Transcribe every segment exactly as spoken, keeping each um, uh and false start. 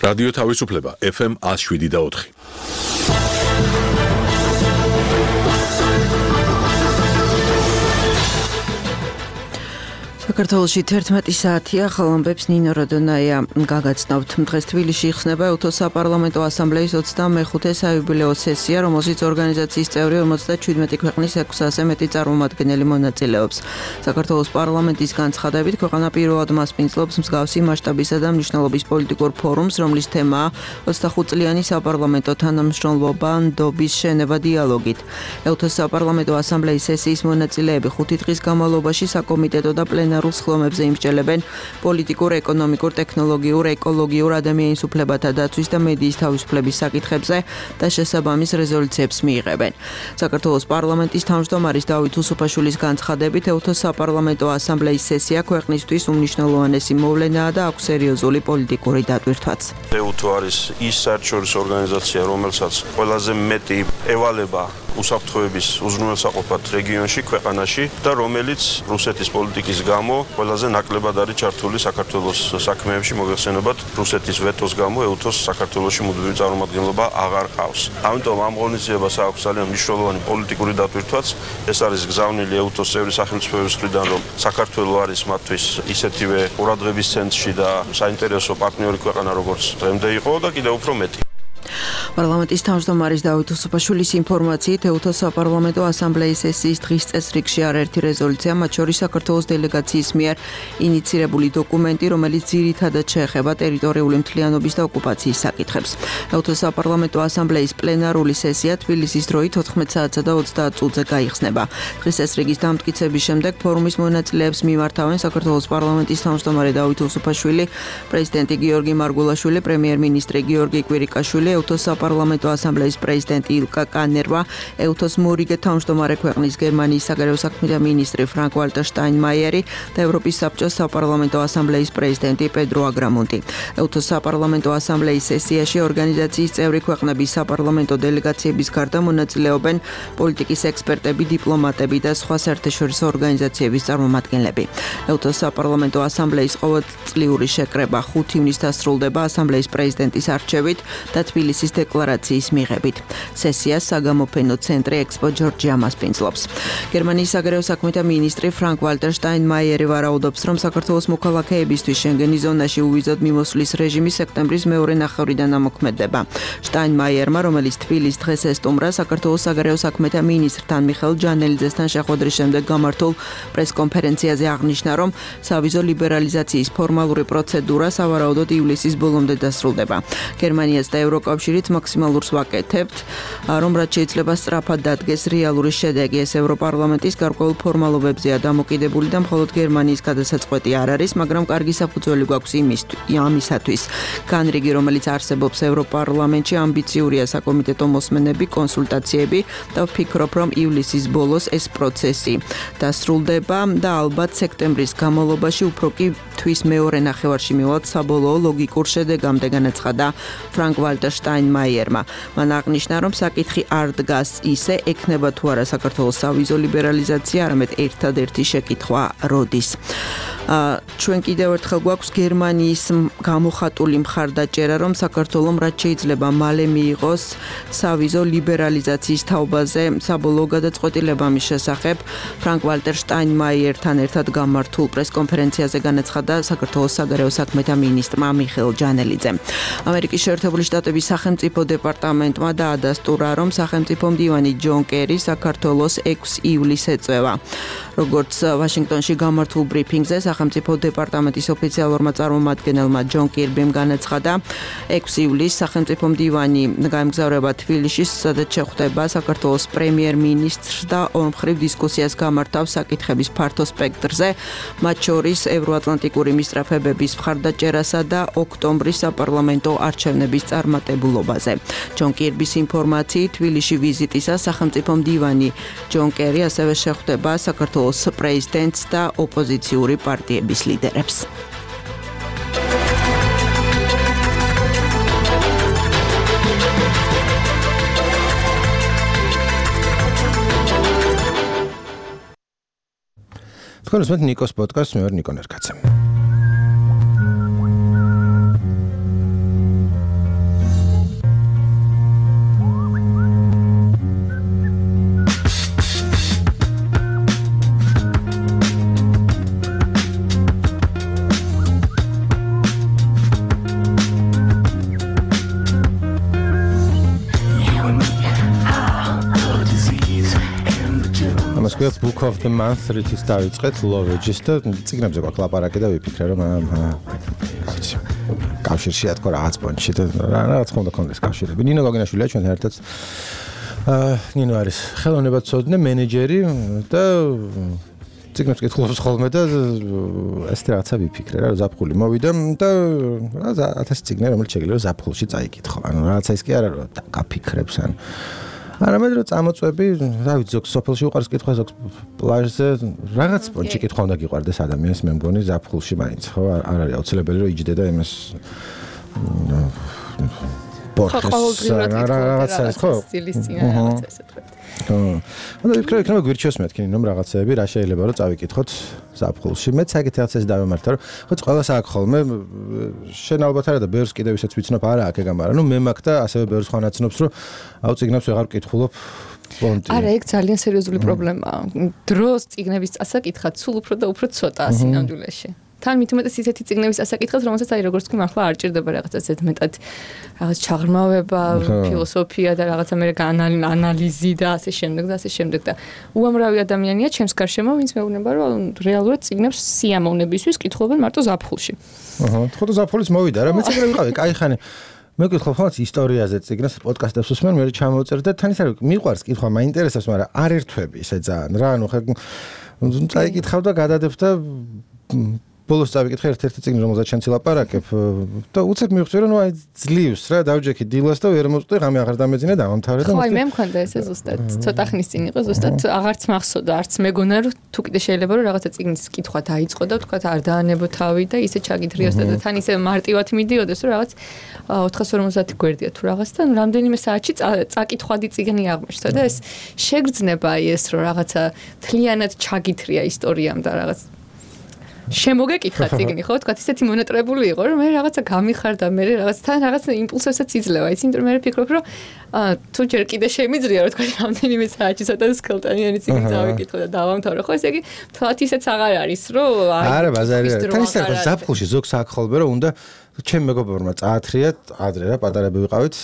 რადიო თავისუფლება ეფ ემ ათს შვიდი და ოთხი. საქართველოში თერთმეტი საათია, ახალ ამბებს ნინო როდონაია გაგაცნობთ. დღეს თბილისში იხსნება ევთოს საპარლამენტო ასამბლეის ოცდამეხუთე საიუბილეო სესია, რომელშიც ორგანიზაციის წევრი ორმოცდაჩვიდმეტი ქვეყნის ექვსასზე მეტი წარმომადგენელი მონაწილეობს. საქართველოს პარლამენტის განცხადებით, ქვეყანა პირველად მასპინძლობს მსგავსი მასშტაბისა და მნიშვნელობის პოლიტიკურ ფორუმს, რომლის თემაა ოცდახუთწლიანი საპარლამენტო თანამშრომლობა ნდობის შენება დიალოგით. ევთოს საპარლამენტო ასამბლეის სესიის მონაწილეები ხუთი დღის განმავლობაში საკომიტეტო და პლენარულ სხდომებზე იმსჯელებენ პოლიტიკურ, ეკონომიკურ, ტექნოლოგიურ, ეკოლოგიურ, ადამიანის უფლებათა დაცვის და მედიის თავისუფლების საკითხებზე და შესაბამის რეზოლუციებს მიიღებენ. საქართველოს პარლამენტის თავმჯდომარის დავით უსუფაშვილის განცხადებით, ევთოს საპარლამენტო ასამბლეის სესია ქვეყნისთვის უმნიშვნელოვანესი მოვლენაა და აქვს სერიოზული პოლიტიკური დატვირთვაც. ევთო არის ის საერთაშორისო ორგანიზაცია, რომელსაც ყველაზე მეტი ევალება უსაფრთხოების უზრუნველსაყოფად რეგიონში, ქვეყანაში და რომელიც რუსეთის პოლიტიკის გამო ყველაზე ნაკლებად არის ჩართული საქართველოს საქმეებში, მოგეხსენებათ, რუსეთის ვეტოს გამო ევთოს საქართველოში მუდმივი წარმომადგენლობა აღარ ყავს. ამიტომ ამ ღონისძიებას აქვს ძალიან მნიშვნელოვანი პოლიტიკური დატვირთვაც. ეს არის გზავნილი ევთოს წევრი სახელმწიფოების მხრიდან, რომ საქართველო არის მათთვის ისეთივე ყურადღების ცენტრში და საინტერესო პარტნიორი ქვეყანა, როგორც დღემდე იყო და კიდევ უფრო მეტი. პარლამენტის თავმჯდომარის დავით უსუფაშვილის ინფორმაციით, ევთოს საპარლამენტო ასამბლეის სესიის დღის წესრიგში არაერთი რეზოლუცია, მათ შორის საქართველოს დელეგაციის მიერ ინიცირებული დოკუმენტი, რომელიც ძირითადად შეეხება ტერიტორიული მთლიანობის და ოკუპაციის საკითხებს. ევთოს საპარლამენტო ასამბლეის პლენარული სესია თბილისის დროით ოთხმეტ საათსა და ოცდაათ წუთზე გაიხსნება. დღის წესრიგის დამტკიცების შემდეგ ფორუმის მონაწილეებს მიმართავენ საქართველოს პარლამენტის თავმჯდომარე დავით უსუფაშვილი, პრეზიდენტი გიორგი მარგულაშვილი, პრემიერ-მინისტრი გიორგი კვირიკაშვილი, ევთოს საპარლამენტო ასამბლეის პრეზიდენტი ილკა კანერვა, ევთოს მორიგე თავმჯდომარე ქვეყნის გერმანიის საგარეო საქმეთა მინისტრი ფრანკ ვალტერ შტაინმაიერი და ევროპის საბჭოს საპარლამენტო ასამბლეის პრეზიდენტი პედრო აგრამონტი. ევთოს საპარლამენტო ასამბლეის სესიაში ორგანიზაციის წევრი ქვეყნების საპარლამენტო დელეგაციების გარდა მონაწილეობენ პოლიტიკის ექსპერტები, დიპლომატები და სხვა საერთაშორისო ორგანიზაციების წარმომადგენლები. ევთოს საპარლამენტო ასამბლეის ყოველწლიური შეკრება ხუთ ივნისს დასრულდება ასამბლეის პრეზიდენტის არჩევით და თბილისის დეკლარაციის მიღებით. სესიას საგამოფენო ცენტრი ექსპო ჯორჯია მასპინძლობს. გერმანიის საგარეო საქმეთა მინისტრი ფრანკ ვალტერ შტაინმაიერი ვარაუდობს, რომ საქართველოს მოქალაქეებისთვის შენგენის ზონაში უვიზოდ მიმოსვლის რეჟიმი სექტემბრის მეორე ნახევრიდან ამოქმედდება. შტაინმაიერმა, რომელიც თბილისს დღეს ესტუმრა, საქართველოს საგარეო საქმეთა მინისტრთან მიხეილ ჯანელიძესთან შეხვედრის შემდეგ გამართულ პრესკონფერენციაზე აღნიშნა, რომ სავიზო ლიბერალიზაციის ფორმალური პროცედურა სავარაუდოდ ივლისის ბოლომდე დასრულდება. გერმანიაც და ევროკავშირიც მაქსიმალურს ვაკეთებთ, რომ რაც შეიძლება სწრაფად დადგეს რეალური შედეგი. ეს ევროპარლამენტის გარკვეულ ფორმალობებზეა დამოკიდებული და მხოლოდ გერმანიის გადასაწყვეტი არ არის, მაგრამ კარგი საფუძველი გვაქვს ამისათვის. განრიგი, რომელიც არსებობს ევროპარლამენტში, ამბიციურია საკომიტეტო მოსმენები, კონსულტაციები და ვფიქრობ, რომ ივლისის ბოლოს ეს პროცესი დასრულდება და ალბათ სექტემბრის განმავლობაში უფრო კი თვის მეორე ნახევარში მივალთ საბოლოო ლოგიკურ შედეგამდე, განაცხადა ფრანკ ვალტერ შტაინმაიერმა. მან აღნიშნა, რომ საკითხი არ დგას ისე, ექნება თუ არა საქართველოს სავიზო ლიბერალიზაცია, არამედ ერთადერთი შეკითხვა როდის. ჩვენ კიდევ ერთხელ გვაქვს გერმანიის გამოხატული მხარდაჭერა, რომ საქართველომ რაც შეიძლება მალე მიიღოს სავიზო ლიბერალიზაციის თაობაზე საბოლოო გადაწყვეტილება მის შესახებ. ფრანკ ვალტერ შტაინმაიერთან ერთად გამართულ პრესკონფერენციაზე განაცხადა საქართველოს საგარეო საქმეთა მინისტრმა მიხეილ ჯანელიძემ. ამერიკის შეერთებული შტატების სახელმწიფო დეპარტამენტმა დაადასტურა, რომ სახელმწიფო მდივანი ჯონ კერი საქართველოს ექვსი ივლისს ეწევა. როგორც ვაშინგტონში გამართულ ბრიფინგზე სახელმწიფო დეპარტამენტის ოფიციალურმა წარმომადგენელმა ჯონ კირბიმ განაცხადა, ექვსი ივლისს სახელმწიფო მდივანი გაემგზავრება თბილისში, სადაც შეხვდება საქართველოს პრემიერ-მინისტრს და ორმხრივ დისკუსიას გამართავს საკითხების ფართო სპექტრზე, მათ შორის ევროატლანტიკური მისწრაფებების მხარდაჭერასა და ოქტომბრის საპარლამენტო არჩევნების წარმატებულობაზე. ჯონ კირბის ინფორმაციით, თბილისში ვიზიტისას სახელმწიფო მდივანი ჯონ კერი ასევე შეხვდება საქართველოს პრეზიდენტს და ოპოზიციური პარტიების ლიდერებს. თქვენ უსმენთ ნიკოს პოდკასტს, მე ვარ ნიკო ნერკაცე. თქვათ Book of the Month რითიც დავიწყეთ Lovages და წიგნებზე გვაქვს ლაპარაკი და ვიფიქრე რომ კავშირი კავშირშია თქო რაღაც პონჩი და რაღაც ხომ და კონდეს კავშირები. ნინო გოგინაშვილია ჩვენთან ერთად. აა ნინო არის ხელოვნებაცოდნე მენეჯერი და წიგნებს კითხულობს ხოლმე და ეს რაღაცა ვიფიქრე რა ზაფხული მოვიდა და ათასი წიგნი რომელიც შეგიძლია ზაფხულში წაიკითხო. ანუ რაღაცა ის კი არა რომ გაფიქრებს ან არამედ რომ წამოწვევები, რა ვიცი, ზოგ სოფელში უყარს კითხვა, ზოგ პლაჟზე რაღაც პონჩი კითხვა უნდა გიყვარდეს ადამიანს, მე მგონი ზაფხულში მაინც, ხო, არ არის აუცილებელი რომ იჯდე და იმას პორტს რაღაც არის, ხო? სტილის წინ რაღაც ესე თქვა. ხო. ანუ ვიფიქრე, იქნება გვირჩიოს მეთქი, რომ რაღაცეები რა შეიძლება რომ წავიკითხოთ ზაფხულში. მეც ეგეთ რაღაცას დავემართა, რომ ხო ყველას აქვს ხოლმე შენ ალბათ არა და ბევრს კიდევ ისეც ვიცნობ არა აქ ეგ ამარა. ნუ მე მაქვს და ასევე ბევრს ხან აცნობს, რომ აუ წიგნებს ვეღარ ვკითხულობ. არა, ეგ ძალიან სერიოზული პრობლემაა. დროს წიგნების წასაკითხად სულ უფრო და უფრო ცოტაა სინამდვილეში. თან მით უმეტეს ისეთი წიგნების ასაკითხად, რომელსაც აი როგორც თქვი მართლა არ ჭირდება რაღაცა ზედმეტად რაღაც ჩაღრმავება, ფილოსოფია და რაღაცა მე ანალიზი და ასე შემდეგ და ასე შემდეგ და უამრავი ადამიანია ჩემს გარშემო, ვინც მეუბნება, რომ რეალურად წიგნებს სიამოვნებისთვის კითხულობენ მარტო ზაფხულში. აჰა, ხო და ზაფხულის მოვიდა რა, მეც ეგრე ვიყავი, კაი ხანი მე ვკითხავ ხოლმე ისტორიაზე წიგნს, პოდკასტებს უსმენ, მე ჩამოვწერ და თან ის არის, მიყვარს კითხვა, მაინტერესებს, მაგრამ არ ერთვები ისე ძალიან რა, ანუ ხა წაიკითხავ და გადადებ და ბოლოს წავიკითხე ერთ-ერთი წიგნი, რომელზეც შენ ცილაპარაკებ და უცებ მივხვდი, რომ აი ძლივს რა, დავჯექი დილას და ვერ მოწყვი, ღამე აღარ დამეძინე, დავამთავრე და ხო, აი მე მქონდა ესე ზუსტად, ცოტა ხნის წინ იყო, ზუსტად აღარც მახსოვდა, არც მეგონა რომ თუ კიდე შეიძლება რომ რაღაცა წიგნის კითხვა დაიწყო და თქვა არ დაანებო თავი და ისე ჩაგიდრიოსდა და თან ისე მარტივად მიდიოდეს, რომ რაღაც ოთხას ორმოცდაათი გვერდია თუ რაღაც და რამდენიმე საათში წაკითხვადი წიგნი აღმოჩნდა და ეს შეგრძნება აი ეს რომ რაღაცა თლიანად ჩაგითრია ისტორიამ და რაღაც შემოგეკითხა წიგნი, ხო, თქვა ისეთი მონატრებული იყო, რომ მე რაღაცა გამიხარდა, მე რაღაც თან რაღაც იმპულსებსაც იძლევა, იცი, იმიტომ რომ მე ვფიქრობ, რომ თუ ჯერ კიდე შემიძლია, რომ თქვა რამდენიმე საათში ცოტა სკელტანიანი წიგნი წავიკითხო და დავამთავრე, ხო, ესე იგი, თვათ ისეც აღარ არის, რომ აი არა, ბაზარი არა. თან ისე ხო, ზაფხულში ზოგს აქ ხოლმე რომ უნდა ჩემ მეგობრებმა წაათრიათ, ადრე რა, პატარები ვიყავით,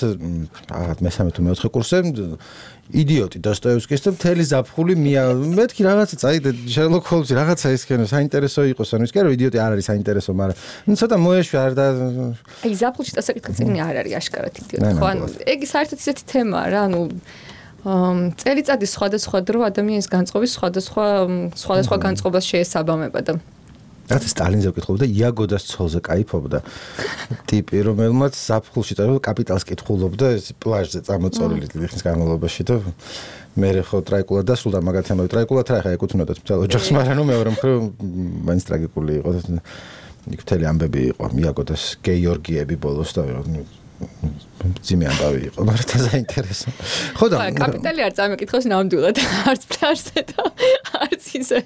რაღაც მესამე თუ მეოთხე კურსზე იდიოტი დოსტოევსკის და მთელი ზაფხული მია მეთქი რაღაცა წაიდე შერლოკ ჰოლმსი რაღაცა ისქენო საინტერესო იყოს ანუ ის კი არა იდიოტი არ არის საინტერესო მაგრამ ცოტა მოეშვი არ და აი ზაფხულში დასაკითხი წიგნი არ არის აშკარად იდიოტი ხო ანუ ეგ საერთოდ ისეთი თემაა რა ანუ წელიწადის სხვადასხვა დრო ადამიანის განწყობის სხვადასხვა სხვადასხვა განწყობას შეესაბამება და რაც სტალინზე ვკითხულობდა და იაგოდას ცოლზე кайფობდა ტიპი რომელმაც ზაფხულში და კაპიტალს კითხულობდა ეს პლაჟზე წამოწოლილი ხნის განმავლობაში და მე ხო ტრაიკულად დასრულდა მაგათ ამავე ტრაიკულად რა ხა ეკუთვნოდათ მთელ ოჯახს მაგრამ ნუ მეორე მხრივ მაინც ტრაგიკული იყო იქ მთელი ამბები იყო იაგოდას გეორგიები ბოლოს და ძიმე ამბავი იყო, მაგრამ და საინტერესო. ხო და კაპიტალი არ წამეკითხოს ნამდვილად, არც პლაჟზე და არც ისე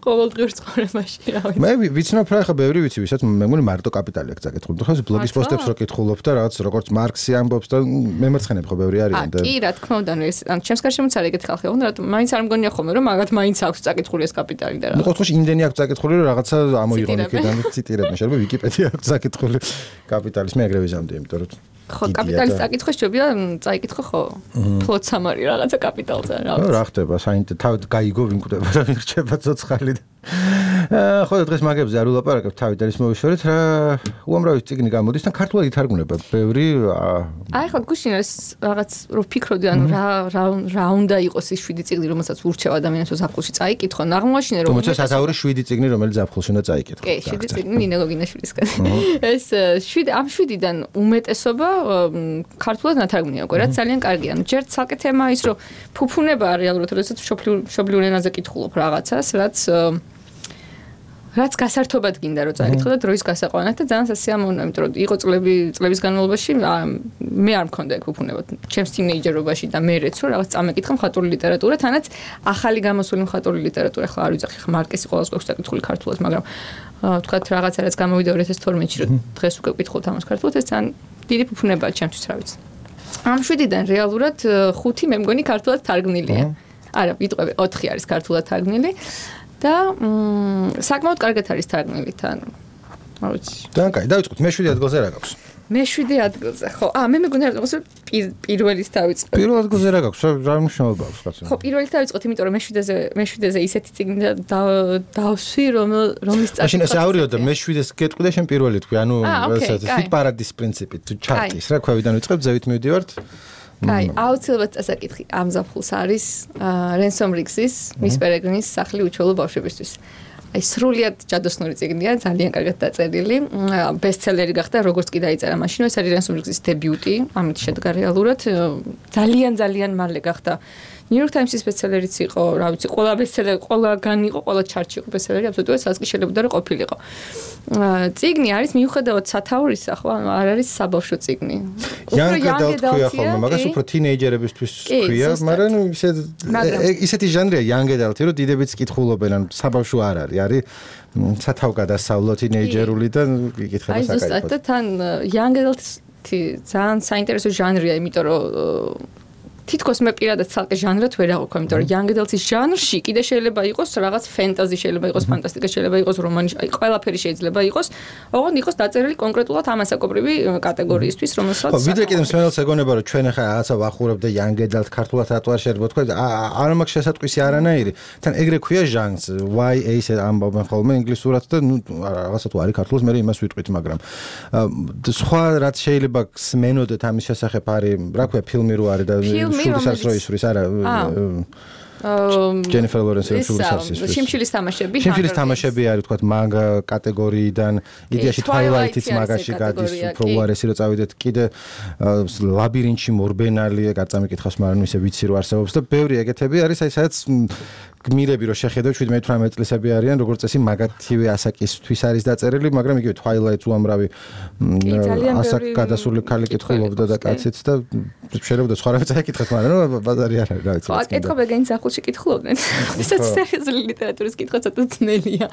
ყოველდღიურ ცხოვრებაში, რა ვიცი. მე ვიცნობ რა ხა ბევრი ვიცი, ვისაც მე მგონი მარტო კაპიტალი აქვს წაკითხული. ხო ეს ბლოგის პოსტებს რო კითხულობ და რაღაც როგორც მარქსი ამბობს და მემარცხენეები ხო ბევრი არიან და კი რა თქმა უნდა, ეს ან ჩემს გარშემოც არის ეგეთი ხალხი, მაგრამ მაინც არ მგონია ხოლმე რომ მაგათ მაინც აქვს წაკითხული ეს კაპიტალი და რა. ნუ ყოველთვის იმდენი აქვს წაკითხული რომ რაღაცა ამოიღონ იქიდან ციტირებენ, შეიძლება ვიკიპედია აქვს წაკითხული კაპიტალის მე ეგრე ვიზამდი, იმიტომ რომ ხო, კაპიტალის წაკითხვა შეიძლება წაიკითხო ხო? ფლოცამარი რაღაცა კაპიტალზე რა. რა ხდება, საინტერესო თავად გაიგო ვინ კვდება და ვინ რჩება ცოცხალი. აა ხო, დღეს მაგებზე არ ვილაპარაკებ, თავით არის მოვიშორეთ რა. უამრავი წიგნი გამოდის და ქართულად ითარგმნება. ბევრი აი ხო, გუშინ ეს რაღაც რო ფიქრობდი, ანუ რა რა უნდა იყოს ის შვიდი წიგნი, რომელსაც ურჩევ ადამიანს ზაფხულში წაიკითხო. ნაღმოაშინე რომ თუმცა სათაური შვიდი წიგნი, რომელიც ზაფხულში უნდა წაიკითხო. კი, შვიდი წიგნი ნინო გოგინაშვილისგან. ეს შვიდი ამ შვიდიდან უმეტესობა ქართულად ნათარგმნია უკვე, რაც ძალიან კარგია. ანუ ჯერ ცალკე თემა ის რომ ფუფუნება რეალურად, როდესაც მშობლიურ ენაზე კითხულობ რაღაცას, რაც რაც გასართობად გინდა რომ წაიკითხო და დროის გასაყვანად და ძალიან სასიამოვნოა, იმიტომ რომ იყო წლები წლების განმავლობაში მე არ მქონდა ეგ ფუფუნება. ჩემს თინეიჯერობაში და მერეც რომ რაღაც წამეკითხა მხატვრული ლიტერატურა, თანაც ახალი გამოსული მხატვრული ლიტერატურა, ახლა არ ვიცი, ხა მარკესი ყოველს გვაქვს წაკითხული ქართულად, მაგრამ თქვათ რაღაცა რაც გამოვიდა ორი ათას თორმეტში რომ დღეს უკვე ვკითხულობთ ამას ქართულად, ეს ძალიან დიდი ფუფუნებაა ჩემთვის, რა ვიცი. ამ შვიდიდან რეალურად ხუთი მე მგონი ქართულად თარგმნილია. არა, ვიტყვები, ოთხი არის ქართულად თარგმნილი და საკმაოდ კარგად არის თარგმნილი თან. რა ვიცი. ძალიან კაი, დავიწყოთ, მე შვიდი ადგილზე რა გაქვს? მეშვიდე ადგილზე, ხო. აა, მე მეგონა რომ პირველით დავიწყებ. პირველ ადგილზე რა გაქვს? რა მნიშვნელობა აქვს კაცო? ხო, პირველით დავიწყოთ, იმიტომ რომ მეშვიდეზე, მეშვიდეზე ისეთი წიგნი დავსვი, რომ რომლის წაკითხვა. მაშინ ესე ავრიოდე, მეშვიდეს გეტყვი და შენ პირველი თქვი, ანუ ესეთი ჰიტ პარადის პრინციპით, თუ ჩარტის, რა ქვევიდან ვიწყებ, ზევით მივდივართ. აი, აუცილებლად წასაკითხი ამ ზაფხულს არის რენსომ რიგსის, მის პერეგრინის სახლი უჩვეულო ბავშვებისთვის. აი, სრულიად ჯადოსნური წიგნია, ძალიან კარგად დაწერილი. ბესტსელერი გახდა, როგორც კი დაიწერა მაშინ, ეს არის რენსომ რიგსის დებიუტი, ამით შედგა რეალურად. ძალიან ძალიან მალე გახდა New York Times-ის ბესტსელერიც იყო, რა ვიცი, ყველა ბესტსელერი, ყველგან იყო, ყველა ჩარტში იყო ბესტსელერი, აბსოლუტურად სადაც კი შეიძლება და ყოფილიყო. წიგნი არის მიუხედავად სათაურისა, ხო, ანუ არ არის საბავშვო წიგნი. Young adult ქვია ხოლმე, მაგას უფრო თინეიჯერებისთვის ქვია, მაგრამ ისე ისეთი ჟანრია young adult, რომ დიდებიც კითხულობენ, ანუ საბავშვო არ არის, არის სათავგადასავლო თინეიჯერული და იკითხება საკაიფოდ. აი, ზუსტად და თან young adult-ი ძალიან საინტერესო ჟანრია, იმიტომ რომ თითქოს მე პირადად ცალკე ჟანრად ვერ აღვიქვი, იმიტომ რომ young adult-ის ჟანრში კიდე შეიძლება იყოს რაღაც ფენტაზი, შეიძლება იყოს ფანტასტიკა, შეიძლება იყოს რომანი, აი ყველაფერი შეიძლება იყოს, ოღონდ იყოს დაწერილი კონკრეტულად ამასაკობრივი კატეგორიისთვის, რომელსაც ხო, ვიდრე კიდე მსმენელს ეგონება, რომ ჩვენ ახლა რაღაცა ვახურებ და young adult ქართულად ატვარ შეიძლება თქვა, არ მაქვს შესატყვისი არანაირი. თან ეგრე ქვია ჟანრს, Y A ისე ამბობენ ხოლმე ინგლისურად და ნუ რაღაცა თუ არის ქართულად, მე იმას ვიტყვით, მაგრამ სხვა რაც შეიძლება სმენოდეთ ამის შესახებ არის, რა ქვია, ფილმი რო არის და შურის რო ისვრის არა Jennifer Lawrence-ის შურის არის ისვრის. შიმშილის თამაშები. შიმშილის თამაშები არის თქვა მაგა კატეგორიიდან, იდეაში Twilight-იც მაგაში გადის, უფრო უარესი რო წავიდეთ, კიდე ლაბირინთში მორბენალი, გაწამიკითხავს, მაგრამ ისე ვიცი რო არსებობს და ბევრი ეგეთები არის, აი სადაც გმირები რო შეხედავ შვიდმეტ ათორმეტ წლისები არიან, როგორც წესი მაგათივე ასაკისთვის არის დაწერილი, მაგრამ იგივე Twilight-ს უამრავი ასაკ გადასული ქალი კითხულობდა და კაციც და შეიძლება სხვა რაღაცა ეკითხეთ, მაგრამ ბაზარი არ არის, რა ვიცი. ხო, აკითხები გენს ახლში კითხულობდნენ. ისაც სერიოზული ლიტერატურის კითხვა ცოტა ძნელია.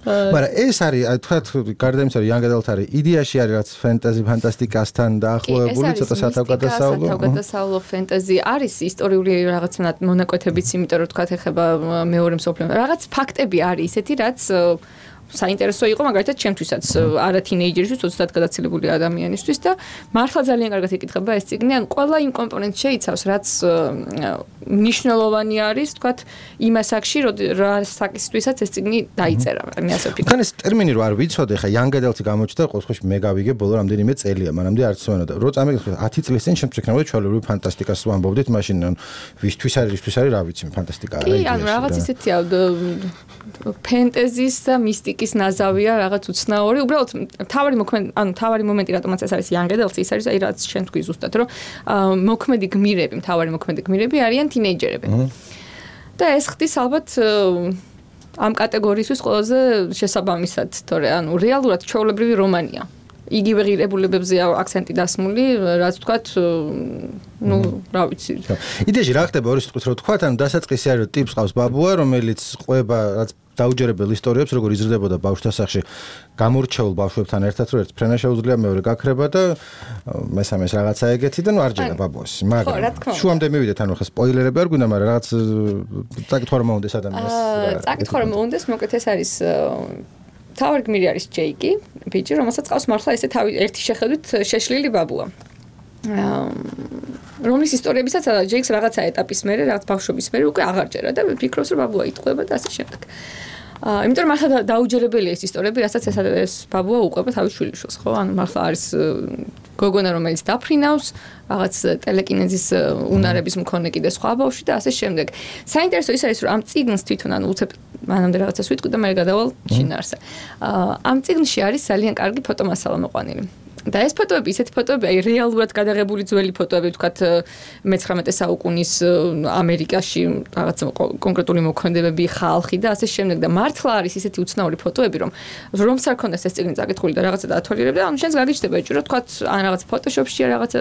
მაგრამ ეს არის, აი თქვათ, გარდა იმისა, რომ young adult არის, იდეაში არის რაც ფენტაზი, ფანტასტიკასთან დაახლოებული, ცოტა სათავგადასავლო. სათავგადასავლო ფენტაზი არის ისტორიული რაღაც მონაკვეთებიც, იმიტომ რომ თქვათ ეხება მეორე მსოფლიო რაღაც ფაქტები არის ისეთი, რაც საინტერესო იყო მაგალითად ჩემთვისაც არა თინეიჯერისთვის, ოცდაათ გადაცილებული ადამიანისთვის და მართლა ძალიან კარგად იკითხება ეს წიგნი, ან ყველა იმ კომპონენტს შეიცავს, რაც მნიშვნელოვანი არის, თქვათ, იმ ასაკში, რა საკისთვისაც ეს წიგნი დაიწერა, მე ასე ვფიქრობ. თან ეს ტერმინი რო არ ვიცოდე, ხა young adult-ი გამოჩნდა, ყოველთვის მე გავიგე ბოლო რამდენიმე წელია, მანამდე არც ვენოდა. რო წამიგე ათი წლის წინ შემდგომ იქნებოდა ჩვეულებრივი ფანტასტიკას ვამბობდით, მაშინ ვისთვის არის, ისთვის არის, რა ვიცი, ფანტასტიკა არა იდეაში. კი, ანუ რაღაც ისეთია ფენტეზის და მისტიკის ნაზავია რაღაც უცნაური. უბრალოდ თავარი მოქმედი, ანუ თავარი მომენტი რატომაც ეს არის young adult-ი, ის არის აი რაც შენ თქვი ზუსტად, რომ მოქმედი გმირები, თავარი მოქმედი გმირები არიან თინეიჯერები. და ეს ხდის ალბათ ამ კატეგორიისთვის ყველაზე შესაბამისად, თორე ანუ რეალურად ჩვეულებრივი რომანია. იგივე ღირებულებებზე აქცენტი დასმული, რაც ვთქვათ, ну, რა ვიცი. იდეაში რა ხდება ორი სიტყვით რო ვთქვათ, ანუ დასაწყისი არის, რომ ტიპს ყავს ბაბუა, რომელიც ყვება რაც დაუჯერებელ ისტორიებს, როგორ იზრდებოდა ბავშვთა სახლში გამორჩეულ ბავშვებთან ერთად, რომ ერთ ფრენა შეუძლია, მეორე გაქრება და მესამეს რაღაცა ეგეთი და ნუ არ ჯერა ბაბუას. მაგრამ შუამდე მივიდეთ, ანუ ხა სპოილერები არ გვინდა, მაგრამ რაღაც წაკითხვა რომ მოუნდეს ადამიანს. წაკითხვა რომ მოუნდეს, მოკლედ ეს არის თავარი გმირი არის ჯეიკი, ბიჭი, რომელსაც ყავს მართლა ესე თავი ერთი შეხედვით შეშლილი ბაბუა. რომლის ისტორიებისაც ჯეიქს რაღაცა ეტაპის მერე, რაღაც ბავშვობის მერე უკვე აღარ ჯერა და ფიქრობს რომ ბაბუა იტყვება და ასე შემდეგ. აა, იმიტომ რომ მართლა დაუჯერებელია ეს ისტორიები, რასაც ეს ბაბუა უყვება თავის შვილიშვილს, ხო? ანუ მართლა არის გოგონა, რომელიც დაფრინავს, რაღაც ტელეკინეზის უნარების მქონე კიდე სხვა ბავშვი და ასე შემდეგ. საინტერესო ის არის, რომ ამ წიგნს თვითონ ანუ უცებ მანამდე რაღაცას ვიტყვი და მე გადავალ შინაარსზე. აა, ამ წიგნში არის ძალიან კარგი ფოტომასალა მოყვანილი. და ეს ფოტოები, ისეთი ფოტოები, აი რეალურად გადაღებული ძველი ფოტოები, ვთქვათ, მეცხრამეტე საუკუნის ამერიკაში რაღაც კონკრეტული მოქმედებები, ხალხი და ასე შემდეგ და მართლა არის ისეთი უცნაური ფოტოები, რომ რომც არ ქონდეს ეს წიგნი წაკითხული და რაღაცა დაათვალიერებდა, ანუ შენს გაგიჩნდება ეჭვი, რომ ვთქვათ, ან რაღაც ფოტოშოპში რაღაცა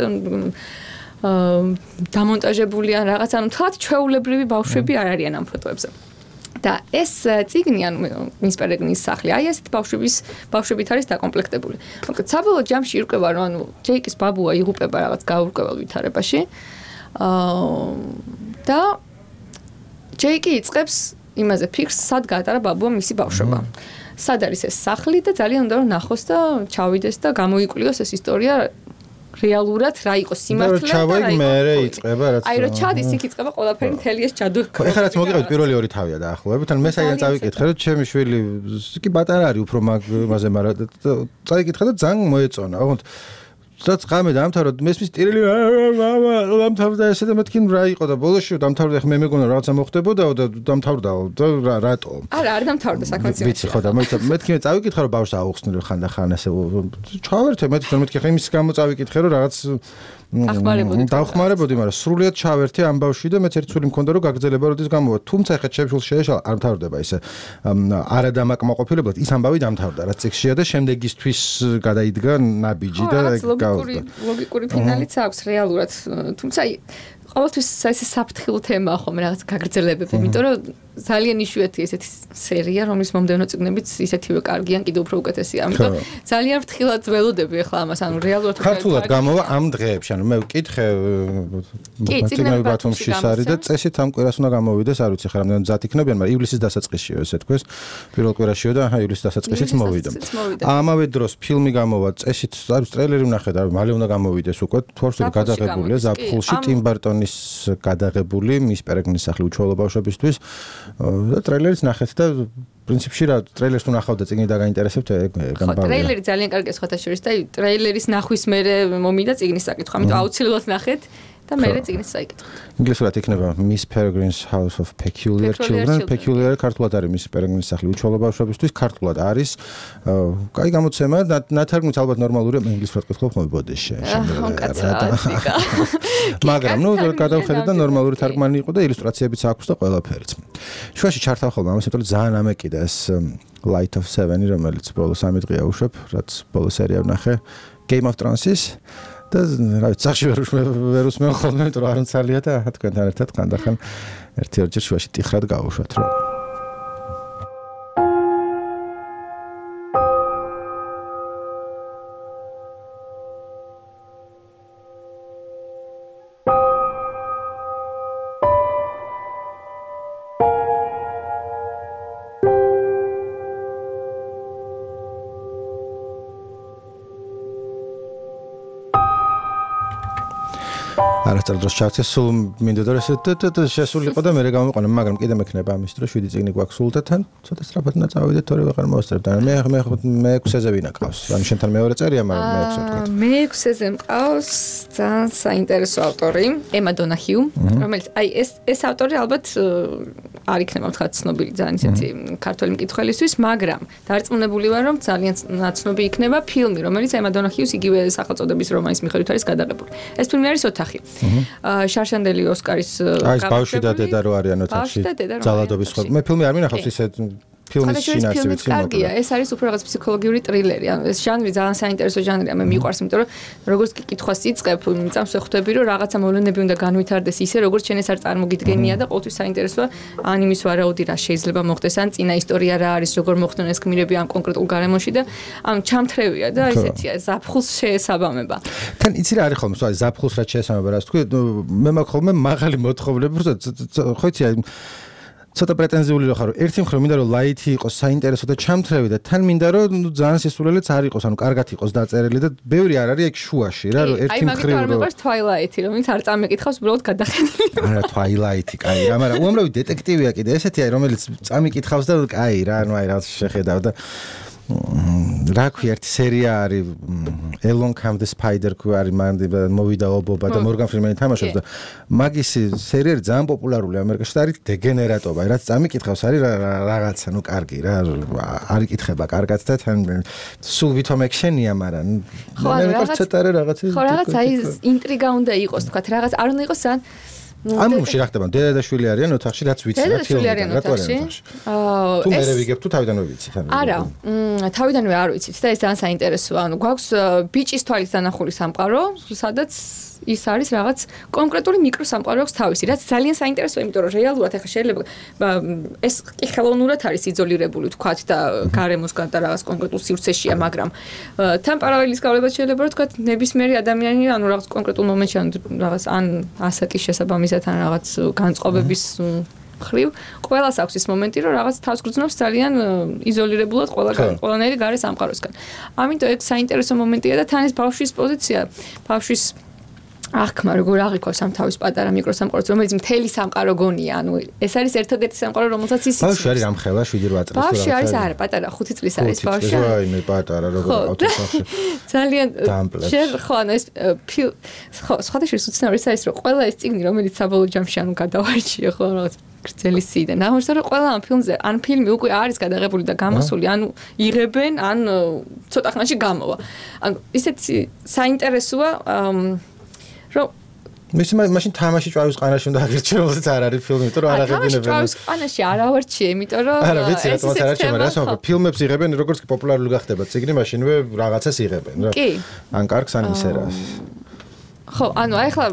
დამონტაჟებული ან რაღაც, ანუ თლათ ჩვეულებრივი ბავშვები არ არიან ამ ფოტოებზე. და ეს წიგნი, ანუ მის პერეგრინის სახლი, აი ესეთ ბავშვების ბავშვებით არის დაკომპლექტებული. მოკლედ, საბოლოო ჯამში ირკვევა, რომ ანუ ჯეიკის ბაბუა იღუპება რაღაც გაურკვეველ ვითარებაში. აა და ჯეიკი იწყებს იმაზე ფიქრს, სად გაატარა ბაბუა მისი ბავშვობა. სად არის ეს სახლი და ძალიან უნდა რომ ნახოს და ჩავიდეს და გამოიკვლიოს ეს ისტორია რეალურად რა იყოს სიმართლე და რა იყო მე იწყება რაც აი რო ჩადის იქ იწყება ყველაფერი მთელი ეს ჯადუ ეხლა რაც მოგიყევით პირველი ორი თავია დაახლოებით ან მე საიდან წავიკითხე რომ ჩემი შვილი კი პატარა არის უფრო მაგაზე მაგრამ წავიკითხე და ძალიან მოეწონა ოღონდ სადაც ღამე დამთავრდა მესმის ტირილი დამთავრდა ესე და მეთქი რა იყო და ბოლოში დამთავრდა ხე მე მეგონა რაღაცა მოხდებოდაო და დამთავრდაო და რატო არა არ დამთავრდა საქმეც ვიცი ხო და მეთქი მე წავიკითხე რომ ბავშვს აუხსნილი ხანდახან ესე ჩავერთე მეთქი რომ მეთქი ხე იმის გამო წავიკითხე რომ რაღაც დავხმარებოდი მაგრამ სრულიად ჩავერთე ამ ბავშვი და მეც ერთ სული მქონდა რომ გაგრძელება როდის გამოვა თუმცა ხე ჩემშულ შეეშალა არ მთავრდება ისე არა დამაკმაყოფილებლად ის ამბავი დამთავრდა რაც წიგშია და შემდეგისთვის გადაიდგა ნაბიჯი და ლოგიკური ლოგიკური ფინალიც აქვს რეალურად თუმცა ყოველთვის ეს საფრთხილო თემაა ხომ რაღაც გაგრძელებები იმიტომ რომ ძალიან იშვიათია ესეთი სერია რომლის მომდევნო წიგნებიც ისეთივე კარგიან კიდევ უფრო უკეთესია ამიტომ ძალიან ფრთხილად ველოდები ახლა ამას ანუ რეალურად ქართულად გამოვა ამ დღეებში ანუ მე ვკითხე წიგნები ბათუმში არის და წესით ამ კვირას უნდა გამოვიდეს არ ვიცი ხა რამდენი მზად იქნებიან მაგრამ ივლისის დასაწყისშიო ესე თქვეს პირველ კვირაშიო და აი ივლისის დასაწყისიც მოვიდა ამავე დროს ფილმი გამოვა წესით არის ტრეილერი ვნახე და მალე უნდა გამოვიდეს უკვე თორსული გადაღებულია ზაფხულში ტიმ ბარტონის გადაღებული მის პერეგნის სახლი უჩვეულო ბავშვებისთვის და ტრეილერიც ნახეთ და პრინციპში რა ტრეილერს თუ ნახავ და წიგნი დაგაინტერესებთ ეგ გამბავია. ტრეილერი ძალიან კარგია სხვათა შორის და ტრეილერის ნახვის მერე მომიდა წიგნის საკითხვა, ამიტომ აუცილებლად ნახეთ და მერე წიგნის საიკითხო. ინგლისურად იქნება Miss Peregrine's House of Peculiar Children. Peculiar ქართულად არის Miss Peregrine's სახლი უჩვეულო ბავშვებისთვის, ქართულად არის. კაი გამოცემა და ნათარგმნით ალბათ ნორმალურია, მე ინგლისურად ვკითხავ ხოლმე ბოდიში. მაგრამ ნუ გადავხედე და ნორმალური თარგმანი იყო და ილუსტრაციებიც აქვს და ყველაფერიც. შუაში ჩართავ ხოლმე ამას, იმიტომ რომ ძალიან ამეკიდა ეს Light of Seven, რომელიც ბოლო სამი დღეა უშვებ, რაც ბოლო სერია ვნახე Game of Thrones-ის. და რა ვიცი, სახში ვერ ვერ უსმენ ხოლმე, იმიტომ რომ არ მცალია და თქვენთან ერთად ხანდახან ერთი ორჯერ შუაში ტიხრად გავუშვათ რომ არასწორ დროს ჩავწე სულ მინდოდა რომ ესე შესულიყო და მე გამიყვანა მაგრამ კიდე მექნება ამის დროს შვიდი წიგნი გვაქვს სულ და თან ცოტა სწრაფად უნდა წავიდეთ თორე ვეღარ მოვასწრებ და მე მე მე ექვსეზე ვინა ყავს ანუ შენთან მეორე წერია მაგრამ მე ექვსე ვთქვათ მე ექვსეზე მყავს ძალიან საინტერესო ავტორი ემა დონაჰიუ რომელიც აი ეს ეს ავტორი ალბათ არ იქნება თქვა ცნობილი ძალიან ისეთი ქართველი მკითხველისთვის მაგრამ დარწმუნებული ვარ რომ ძალიან ნაცნობი იქნება ფილმი რომელიც ემა დონაჰიუს იგივე სახელწოდების რომანის მიხედვით არის გადაღებული ეს ფილმი არის ოთახი შარშანდელი ოსკარის აი ბავშვი და დედა რო არიან ოთახში ძალადობის ხო მე ფილმი არ მინახავს ისე ფილმის შინაარსი ვიცი კარგია ეს არის უფრო რაღაც ფსიქოლოგიური ტრილერი ანუ ეს ჟანრი ძალიან საინტერესო ჟანრია მე მიყვარს იმიტომ რომ როგორც კი კითხვას იწყებ წამს ვხვდები რომ რაღაცა მოვლენები უნდა განვითარდეს ისე როგორც შენ ეს არ წარმოგიდგენია და ყოველთვის საინტერესოა ან იმის ვარაუდი რა შეიძლება მოხდეს ან წინა ისტორია რა არის როგორ მოხდნენ ეს გმირები ამ კონკრეტულ გარემოში და ამ ჩამთრევია და ესეთია ზაფხულს შეესაბამება თან იცი რა არის ხოლმე სხვა ზაფხულს რა შეესაბამება რა თქვი მე მაქვს ხოლმე მაღალი მოთხოვნები ხო იცი აი ცოტა პრეტენზიული ხარ რომ ერთი მხრივ მინდა რომ ლაითი იყოს საინტერესო და ჩამთრევი და თან მინდა რომ ნუ ძალიან სისულელეც არ იყოს ანუ კარგად იყოს დაწერილი და ბევრი არ არის ეგ შუაში რა რომ ერთი მხრივ აი მაგით არ მეყვარს Twilight-ი რომელიც არ წამეკითხავს უბრალოდ გადახედილი არა Twilight-ი კაი რა მაგრამ უამრავი დეტექტივია კიდე ესეთი აი რომელიც წამიკითხავს და კაი რა ანუ აი რა შეხედავ და რა ქვია ერთი სერია არის Along Comes the Spider არის მოვიდა ობობა და მორგან ფრიმენი თამაშობს და მაგის სერიალი ძალიან პოპულარულია ამერიკაში და არის დეგენერატობა რაც წამიკითხავს არის რაღაცა ნუ კარგი რა არ იკითხება კარგად და თან სულ ვითომ ექშენია მაგრამ მე მეკარს ცოტა რაღაცა ხო რაღაცა ის ინტრიგა უნდა იყოს თქვა რაღაც არ უნდა იყოს ძალიან ამ მომში რა ხდება დედა და შვილი არიან ოთახში რაც ვიცი რა ფილმი რატო აა თუ მე ვიგებ თუ თავიდანვე ვიცით არა თავიდანვე არ ვიცით და ეს ძალიან საინტერესოა ანუ გვაქვს ბიჭის თვალის დანახული სამყარო სადაც ის არის რაღაც კონკრეტული მიკროსამყარო აქვს თავისი რაც ძალიან საინტერესოა იმიტომ რომ რეალურად ახლა შეიძლება ეს კი ხელოვნურად არის იზოლირებული თქვათ და გარემოსგან და რაღაც კონკრეტულ სივრცეშია მაგრამ თან პარალელის გავლებად შეიძლება რომ თქვათ ნებისმიერი ადამიანი ანუ რაღაც კონკრეტულ მომენტში ან რაღაც ან ასაკის შესაბამისად ან რაღაც განწყობების ხრივ ყველას აქვს ის მომენტი, რომ რაღაც თავს გრძნობს ძალიან იზოლირებულად ყველგან, ყველანაირი გარე სამყაროსგან. ამიტომ ეგ საინტერესო მომენტია და თან ეს ბავშვის პოზიცია, ბავშვის ახმა როგორ აღიქواس ამ თავის პატარა მიკროსამყაროს, რომელიც მთელი სამყარო გონია, ანუ ეს არის ერთადერთი სამყარო, რომელსაც ის იცავს. ბავშვი არის რამხელა შვიდი რვა წლის. ბავშვი არის არა, პატარა ხუთი წლის არის ბავშვი. აი მე პატარა როგორ ავტოსახში. ძალიან შენ ხო ანუ ეს ხო სხვადასხვა უცნაური ის არის რომ ყველა ეს წიგნი რომელიც საბოლოო ჯამში ანუ გადავარჩიე ხო რაღაც გრძელი სიდან. აღმოჩნდა რომ ყველა ამ ფილმზე ან ფილმი უკვე არის გადაღებული და გამოსული, ანუ იღებენ, ან ცოტა ხანში გამოვა. ანუ ისეთი საინტერესოა რომ მის მაშინ თამაში ჭვავის ყანაში უნდა აღირჩიო, რომელსაც არ არის ფილმი, იმიტომ რომ არ აღებინებენ. თამაში ჭვავის ყანაში არ ავარჩიე, იმიტომ რომ არა, ვიცი რა თქმა უნდა არ არჩიე, მაგრამ ასე ვთქვი, ფილმებს იღებენ, როგორც კი პოპულარული გახდება წიგნი, მაშინვე რაღაცას იღებენ რა. კი. ან კარგს ან ისერას. ხო, ანუ აი ახლა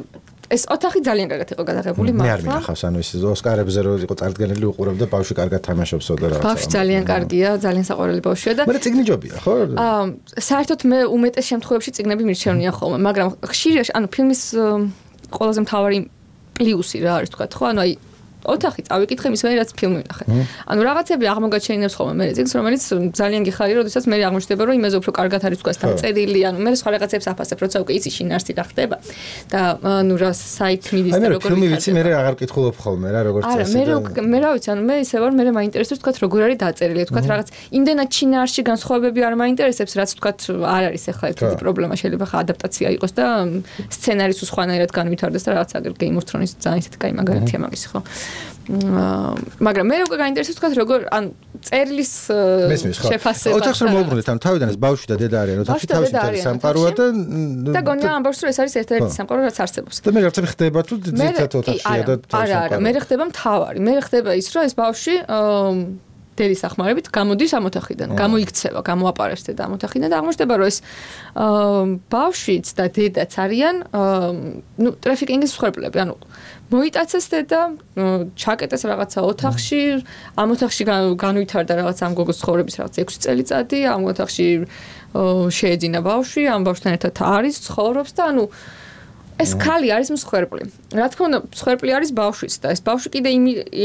ეს ოთახი ძალიან კარგად იყო გადაღებული მართლა. მე არ მინახავს, ანუ ეს ოსკარებზე რო იყო წარდგენილი უყურებდა ბავშვი კარგად თამაშობსო და რაღაცა. ბავშვი ძალიან კარგია, ძალიან საყვარელი ბავშვია და მაგრამ წიგნი ჯობია, ხო? აა საერთოდ მე უმეტეს შემთხვევებში წიგნები მირჩევნია ხოლმე, მაგრამ ხშირია, ანუ ფილმის ყველაზე მთავარი პლუსი რა არის თქვა, ხო? ანუ აი ოთახი წავიკითხე მის მერე რაც ფილმი ვნახე. ანუ რაღაცები აღმოგაჩენინებს ხოლმე მე წიგნს, რომელიც ძალიან გიხარია, როდესაც მე აღმოჩნდება, რომ იმაზე უფრო კარგად არის თქვა დამწერილი, ანუ მე სხვა რაღაცებს აფასებ, როცა უკვე იცი შინაარსი რა ხდება და ანუ რა საით მიდის და როგორ ფილმი ვიცი, მე აღარ კითხულობ ხოლმე რა, როგორც წესი. არა, მე მე რა ვიცი, ანუ მე ისე ვარ, მე მაინტერესებს თქვა როგორ არის დაწერილი, თქვა რაღაც იმდენად შინაარსში განსხვავებები არ მაინტერესებს, რაც თქვა არ არის ახლა ერთი პრობლემა, შეიძლება ხა ადაპტაცია იყოს და სცენარის უსხვანაირად განვითარდეს და რაღაც აგერ Game of Thrones-ის ძალიან ისეთი კაი მაგალითია მაგის, ხო? მაგრამ მე უკვე გაინტერესებს თქვა როგორ ან წერილის შეფასება. ოთახს რომ მოვუბრუნდეთ, ან თავიდან ეს ბავშვი და დედა არიან, ოთახში თავში მთელი სამყაროა და და გონია ამ ბავშვს რომ ეს არის ერთ-ერთი სამყარო რაც არსებობს. და მე რაღაცები ხდება თუ ძირითადად ოთახშია და არა, არა, მე ხდება მთავარი. მე ხდება ის რომ ეს ბავშვი დედის ახმარებით გამოდის ამ ოთახიდან, გამოიქცევა, გამოაპარებს დედა ამ ოთახიდან და აღმოჩნდება რომ ეს ბავშვიც და დედაც არიან ნუ ტრაფიკინგის მსხვერპლები, ანუ მოიტაცეს დედა, ჩაკეტეს რაღაცა ოთახში, ამ ოთახში განვითარდა რაღაც ამ გოგოს ცხოვრების რაღაც ექვსი წელიწადი, ამ ოთახში შეეძინა ბავშვი, ამ ბავშვთან ერთად არის, ცხოვრობს და ანუ ეს ქალი არის მსხვერპლი. რა თქმა უნდა, მსხვერპლი არის ბავშვიც და ეს ბავშვი კიდე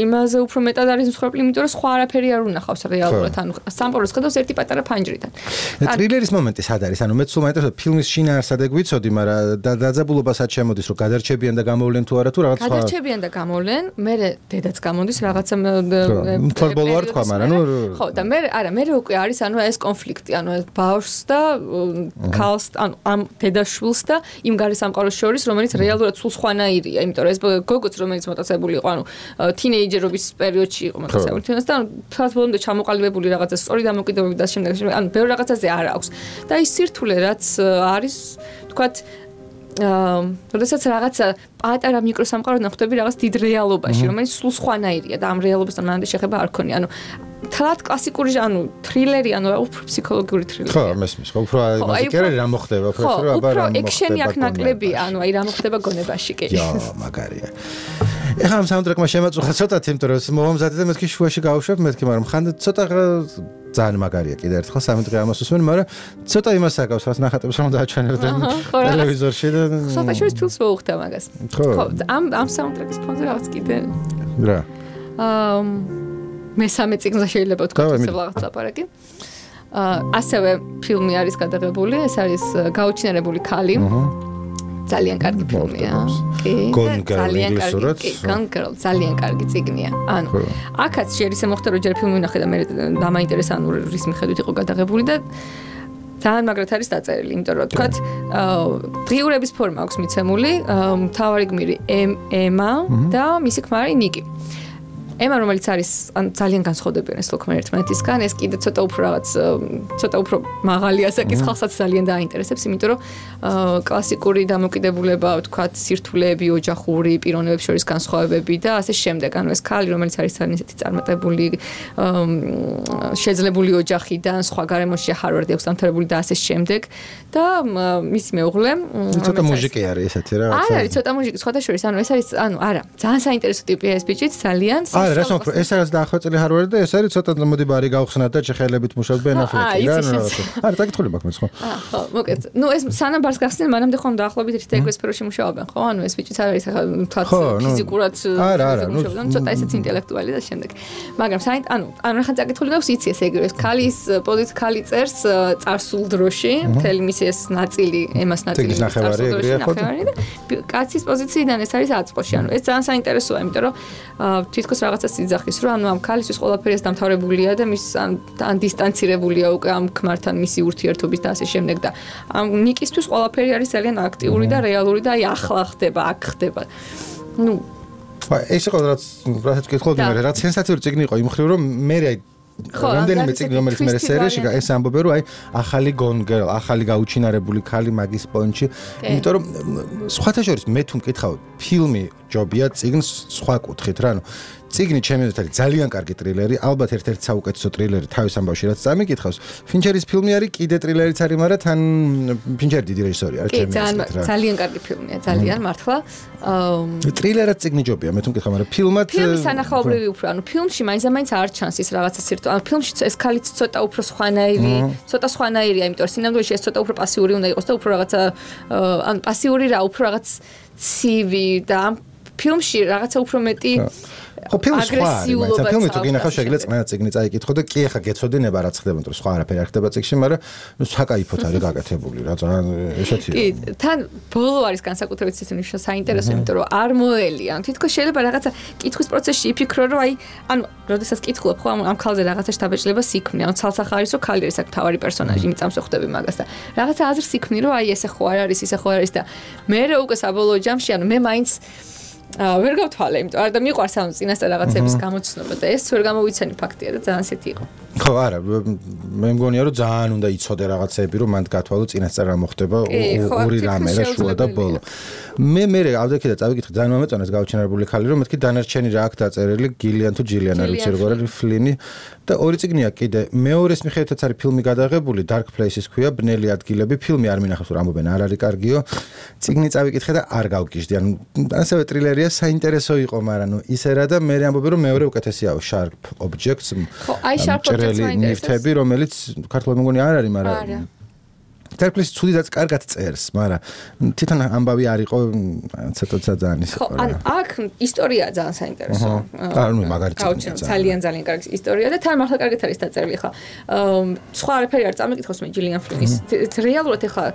იმაზე უფრო მეტად არის მსხვერპლი, იმიტომ რომ სხვა არაფერი არ უნახავს რეალურად, ანუ სამყაროს ხედავს ერთი პატარა ფანჯრიდან. ტრილერის მომენტი სად არის? ანუ მე სულ მაინტერესებს ფილმის შინაარსად ეგ ვიცოდი, მაგრამ დაძაბულობა სად შემოდის, რომ გადარჩებიან და გამოვლენ თუ არა თუ რაღაც სხვა. გადარჩებიან და გამოვლენ, მე დედაც გამოდის რაღაცა თვალბოლო არ თქვა, მაგრამ ნუ ხო, და მე არა, მე უკვე არის ანუ ეს კონფლიქტი, ანუ ეს ბავშვს და ქალს, ანუ ამ დედაშვილს და იმ გარე სამყაროს შორის რომელიც რეალურად სულ სხვანაირია, იმიტომ რომ ეს გოგოც რომელიც მოტაცებული იყო, ანუ თინეიჯერობის პერიოდში იყო მოტაცებული თუნდაც და ანუ თავს ბოლომდე ჩამოყალიბებული რაღაცა სწორი დამოკიდებები და შემდეგ ანუ ბევრ რაღაცაზე არ აქვს. და ის სირთულე რაც არის, თქვათ აა, როდესაც რაღაცა პატარა მიკროსამყაროდან ხვდები რაღაც დიდ რეალობაში, რომელიც სულ სხვანაირია და ამ რეალობასთან მანამდე შეხება არ ქონია. ანუ თლად კლასიკური ანუ თრილერი, ანუ უფრო ფსიქოლოგიური თრილერი. ხო, მესმის, ხო, უფრო იმაზე კი არა რა მოხდება, უფრო რომ აბა რა მოხდება. ხო, ექშენი აქ ნაკლებია, ანუ აი რა მოხდება გონებაში კი. იო, მაგარია. ეხლა ამ საუნდტრეკმა შემაწუხა ცოტათი, იმიტომ რომ მომამზადე და მეთქი შუაში გავუშვებ, მეთქი, მაგრამ ხან ცოტა ძალიან მაგარია კიდე ერთხელ სამი დღე ამას უსმენ, მაგრამ ცოტა იმას აკავს, რაც ნახატებს რომ დააჩვენებდნენ ტელევიზორში და ხოთა შორის ფილმს მოუხდა მაგას. ხო, ამ ამ საუნდტრეკის ფონზე რაღაც კიდე რა. აა მესამე წიგნზე შეიძლება თქვა ისე რაღაც ლაპარაკი. აა ასევე ფილმი არის გადაღებული, ეს არის გაუჩინარებული ქალი. ძალიან კარგი ფილმია. კი, ძალიან კარგი. Gone Girl, ძალიან კარგი წიგნია. ანუ აქაც შეიძლება მოხდა რომ ჯერ ფილმი ვნახე და მე დამაინტერესა ანუ რის მიხედვით იყო გადაღებული და ძალიან მაგრად არის დაწერილი, იმიტომ რომ თქვათ დღიურების ფორმა აქვს მიცემული, მთავარი გმირი ემა და მისი ქმარი ნიკი. ემა რომელიც არის ან ძალიან განსხვავდებიან ეს ლოქმენ ერთმანეთისგან, ეს კიდე ცოტა უფრო რაღაც ცოტა უფრო მაღალი ასაკის ხალხსაც ძალიან დაინტერესებს, იმიტომ რომ კლასიკური დამოკიდებულება, ვთქვათ, სირთულეები, ოჯახური პიროვნებების შორის განსხვავებები და ასე შემდეგ. ანუ ეს ქალი, რომელიც არის ძალიან ისეთი წარმატებული, შეძლებული ოჯახიდან, სხვა გარემოში ჰარვარდი აქვს დამთავრებული და ასე შემდეგ და მისი მეუღლე, ცოტა მუზიკი არის ესეთი რა. არა, არის ცოტა მუზიკი, სხვათა შორის, ანუ ეს არის, ანუ არა, ძალიან საინტერესო ტიპია ეს ბიჭიც, ძალიან არა, რა თქმა უნდა, ეს არის დაახლოებული ჰარვარდი და ეს არის ცოტა მოდი ბარი გავხსნათ და ჩეხელებით მუშაობ ბენ აფლეკი რა, რა. არა, დაგითხოვდი მაგ მეც ხო? აა, ხო, მოკეთ. ნუ ეს სანამ ბარს გახსნიან, მანამდე ხომ დაახლოებით ერთ ეგ სფეროში მუშაობენ, ხო? ანუ ეს ბიჭიც არის ახლა თქვა ფიზიკურად მუშაობენ, ცოტა ესეც ინტელექტუალი და შემდეგ. მაგრამ საით, ანუ, ანუ ახლა წაკითხული გაქვს იცი ეს ეგრე, ეს ქალის პოზიცია ქალი წერს წარსულ დროში, მთელი მისი ეს ნაწილი, ემას ნაწილი წარსულ დროში ნახევარი და კაცის პოზიციიდან ეს არის აწყოში. ანუ ეს ძალიან საინტერესოა, იმიტომ რომ თითქოს რაღაცა სიძახის, რომ ანუ ამ ქალისთვის ყველაფერი ეს დამთავრებულია და მის ან დისტანცირებულია უკვე ამ ქმართან მისი ურთიერთობის და ასე შემდეგ და ამ ნიკისთვის ყველაფერი არის ძალიან აქტიური და რეალური და აი ახლა ხდება, აქ ხდება. ნუ ეს იყო რაც რასაც გითხოდი მე, რაც სენსაციური წიგნი იყო იმ მხრივ რომ მე აი რამდენიმე წიგნი რომელიც მე სერიაში ეს ამბობენ რომ აი ახალი gone girl, ახალი გაუჩინარებული ქალი მაგის პონჩი, იმიტომ რომ სხვათა შორის მე თუ მკითხავ ფილმი ჯობია წიგნს სხვა კუთხით რა, ანუ წიგნი ჩემი აზრით არის ძალიან კარგი ტრილერი, ალბათ ერთ-ერთი საუკეთესო ტრილერი თავის ამბავში რაც წამიკითხავს. ფინჩერის ფილმი არის, კიდე ტრილერიც არის, მაგრამ თან ფინჩერი დიდი რეჟისორი არის ჩემი აზრით რა. ძალიან კარგი ფილმია, ძალიან მართლა. ტრილერად წიგნი ჯობია, მე თუ მკითხავ, მაგრამ ფილმად ფილმი სანახაობრივი უფრო, ანუ ფილმში მაინც-მაინც არ ჩანს ის რაღაცა სირტო. ანუ ფილმში ეს ქალიც ცოტა უფრო სხვანაირი, ცოტა სხვანაირია, იმიტომ რომ სინამდვილეში ეს ცოტა უფრო პასიური უნდა იყოს და უფრო რაღაცა ანუ პასიური რა, უფრო რაღაც ცივი და ამ ფილმში რაღაცა უფრო მეტი ხო ფილმი სხვა არის, ფილმი თუ გინახავ შეგიძლია წმენა წიგნი წაიკითხო და კი ახლა გეცოდინება რაც ხდება, მაგრამ სხვა არაფერი არ ხდება წიგნში, მაგრამ ნუ საკაიფოთ არის გაკეთებული რა, ძალიან ესეთია. კი, თან ბოლო არის განსაკუთრებით ისეთი საინტერესო, იმიტომ რომ არ მოელია. ანუ თითქოს შეიძლება რაღაცა კითხვის პროცესში იფიქრო, რომ აი, ანუ, როდესაც კითხულობ ხო ამ ქალზე რაღაცა შთაბეჭდილებას იქმნი, ანუ ცალსახა არის, რომ ქალი არის აქ თავარი პერსონაჟი, იმით ამსოხდები მაგას და რაღაცა აზრს იქმნი, რომ აი ესე ხო არ არის, ისე ხო არ არის და მე უკვე საბოლოო ჯამში, ანუ მე მაინც აა ვერ გავთვალე, იმიტომ არ და მიყვარს ამ წინასწარ რაღაცების გამოცნობა და ეს ვერ გამოვიცანი ფაქტია და ძალიან ისეთი იყო. ხო, არა, მე მგონია რომ ძალიან უნდა იცოდე რაღაცები, რომ მანდ გათვალო წინასწარ რა მოხდება ორი რამე და შუა და ბოლო. მე მე ავდექი და წავიკითხე ძალიან მომეწონეს გაუჩინარებული ქალი, რომ მეთქი დანარჩენი რა აქვს დაწერილი, გილიან თუ ჯილიან არ ვიცი როგორ არის ფლინი და ორი წიგნია კიდე. მეორეს მიხედვითაც არის ფილმი გადაღებული, Dark Places ქვია, ბნელი ადგილები, ფილმი არ მინახავს რომ ამბობენ არ არის კარგიო. წიგნი წავიკითხე და არ გავგიჟდი, ანუ ასევე ტრილერია საინტერესო იყო, მაგრამ ნუ ისე რა და მე ამბობენ რომ მეორე უკეთესიაო Sharp Objects. ხო, აი Sharp Objects ნივთები, რომელიც ქართულად მეგონი არ არის, მაგრამ Dark Places ცუდიდაც კარგად წერს, მაგრამ თვითონ ამბავი არ იყო ცოტა ძალიან ისე. ხო, ან აქ ისტორია ძალიან საინტერესო. ანუ მაგალითად ძალიან ძალიან კარგი ისტორია და თან მართლა კარგად არის დაწერილი ხა. სხვა არაფერი არ წამიკითხოს მე ჯილიან ფლინის. რეალურად ხა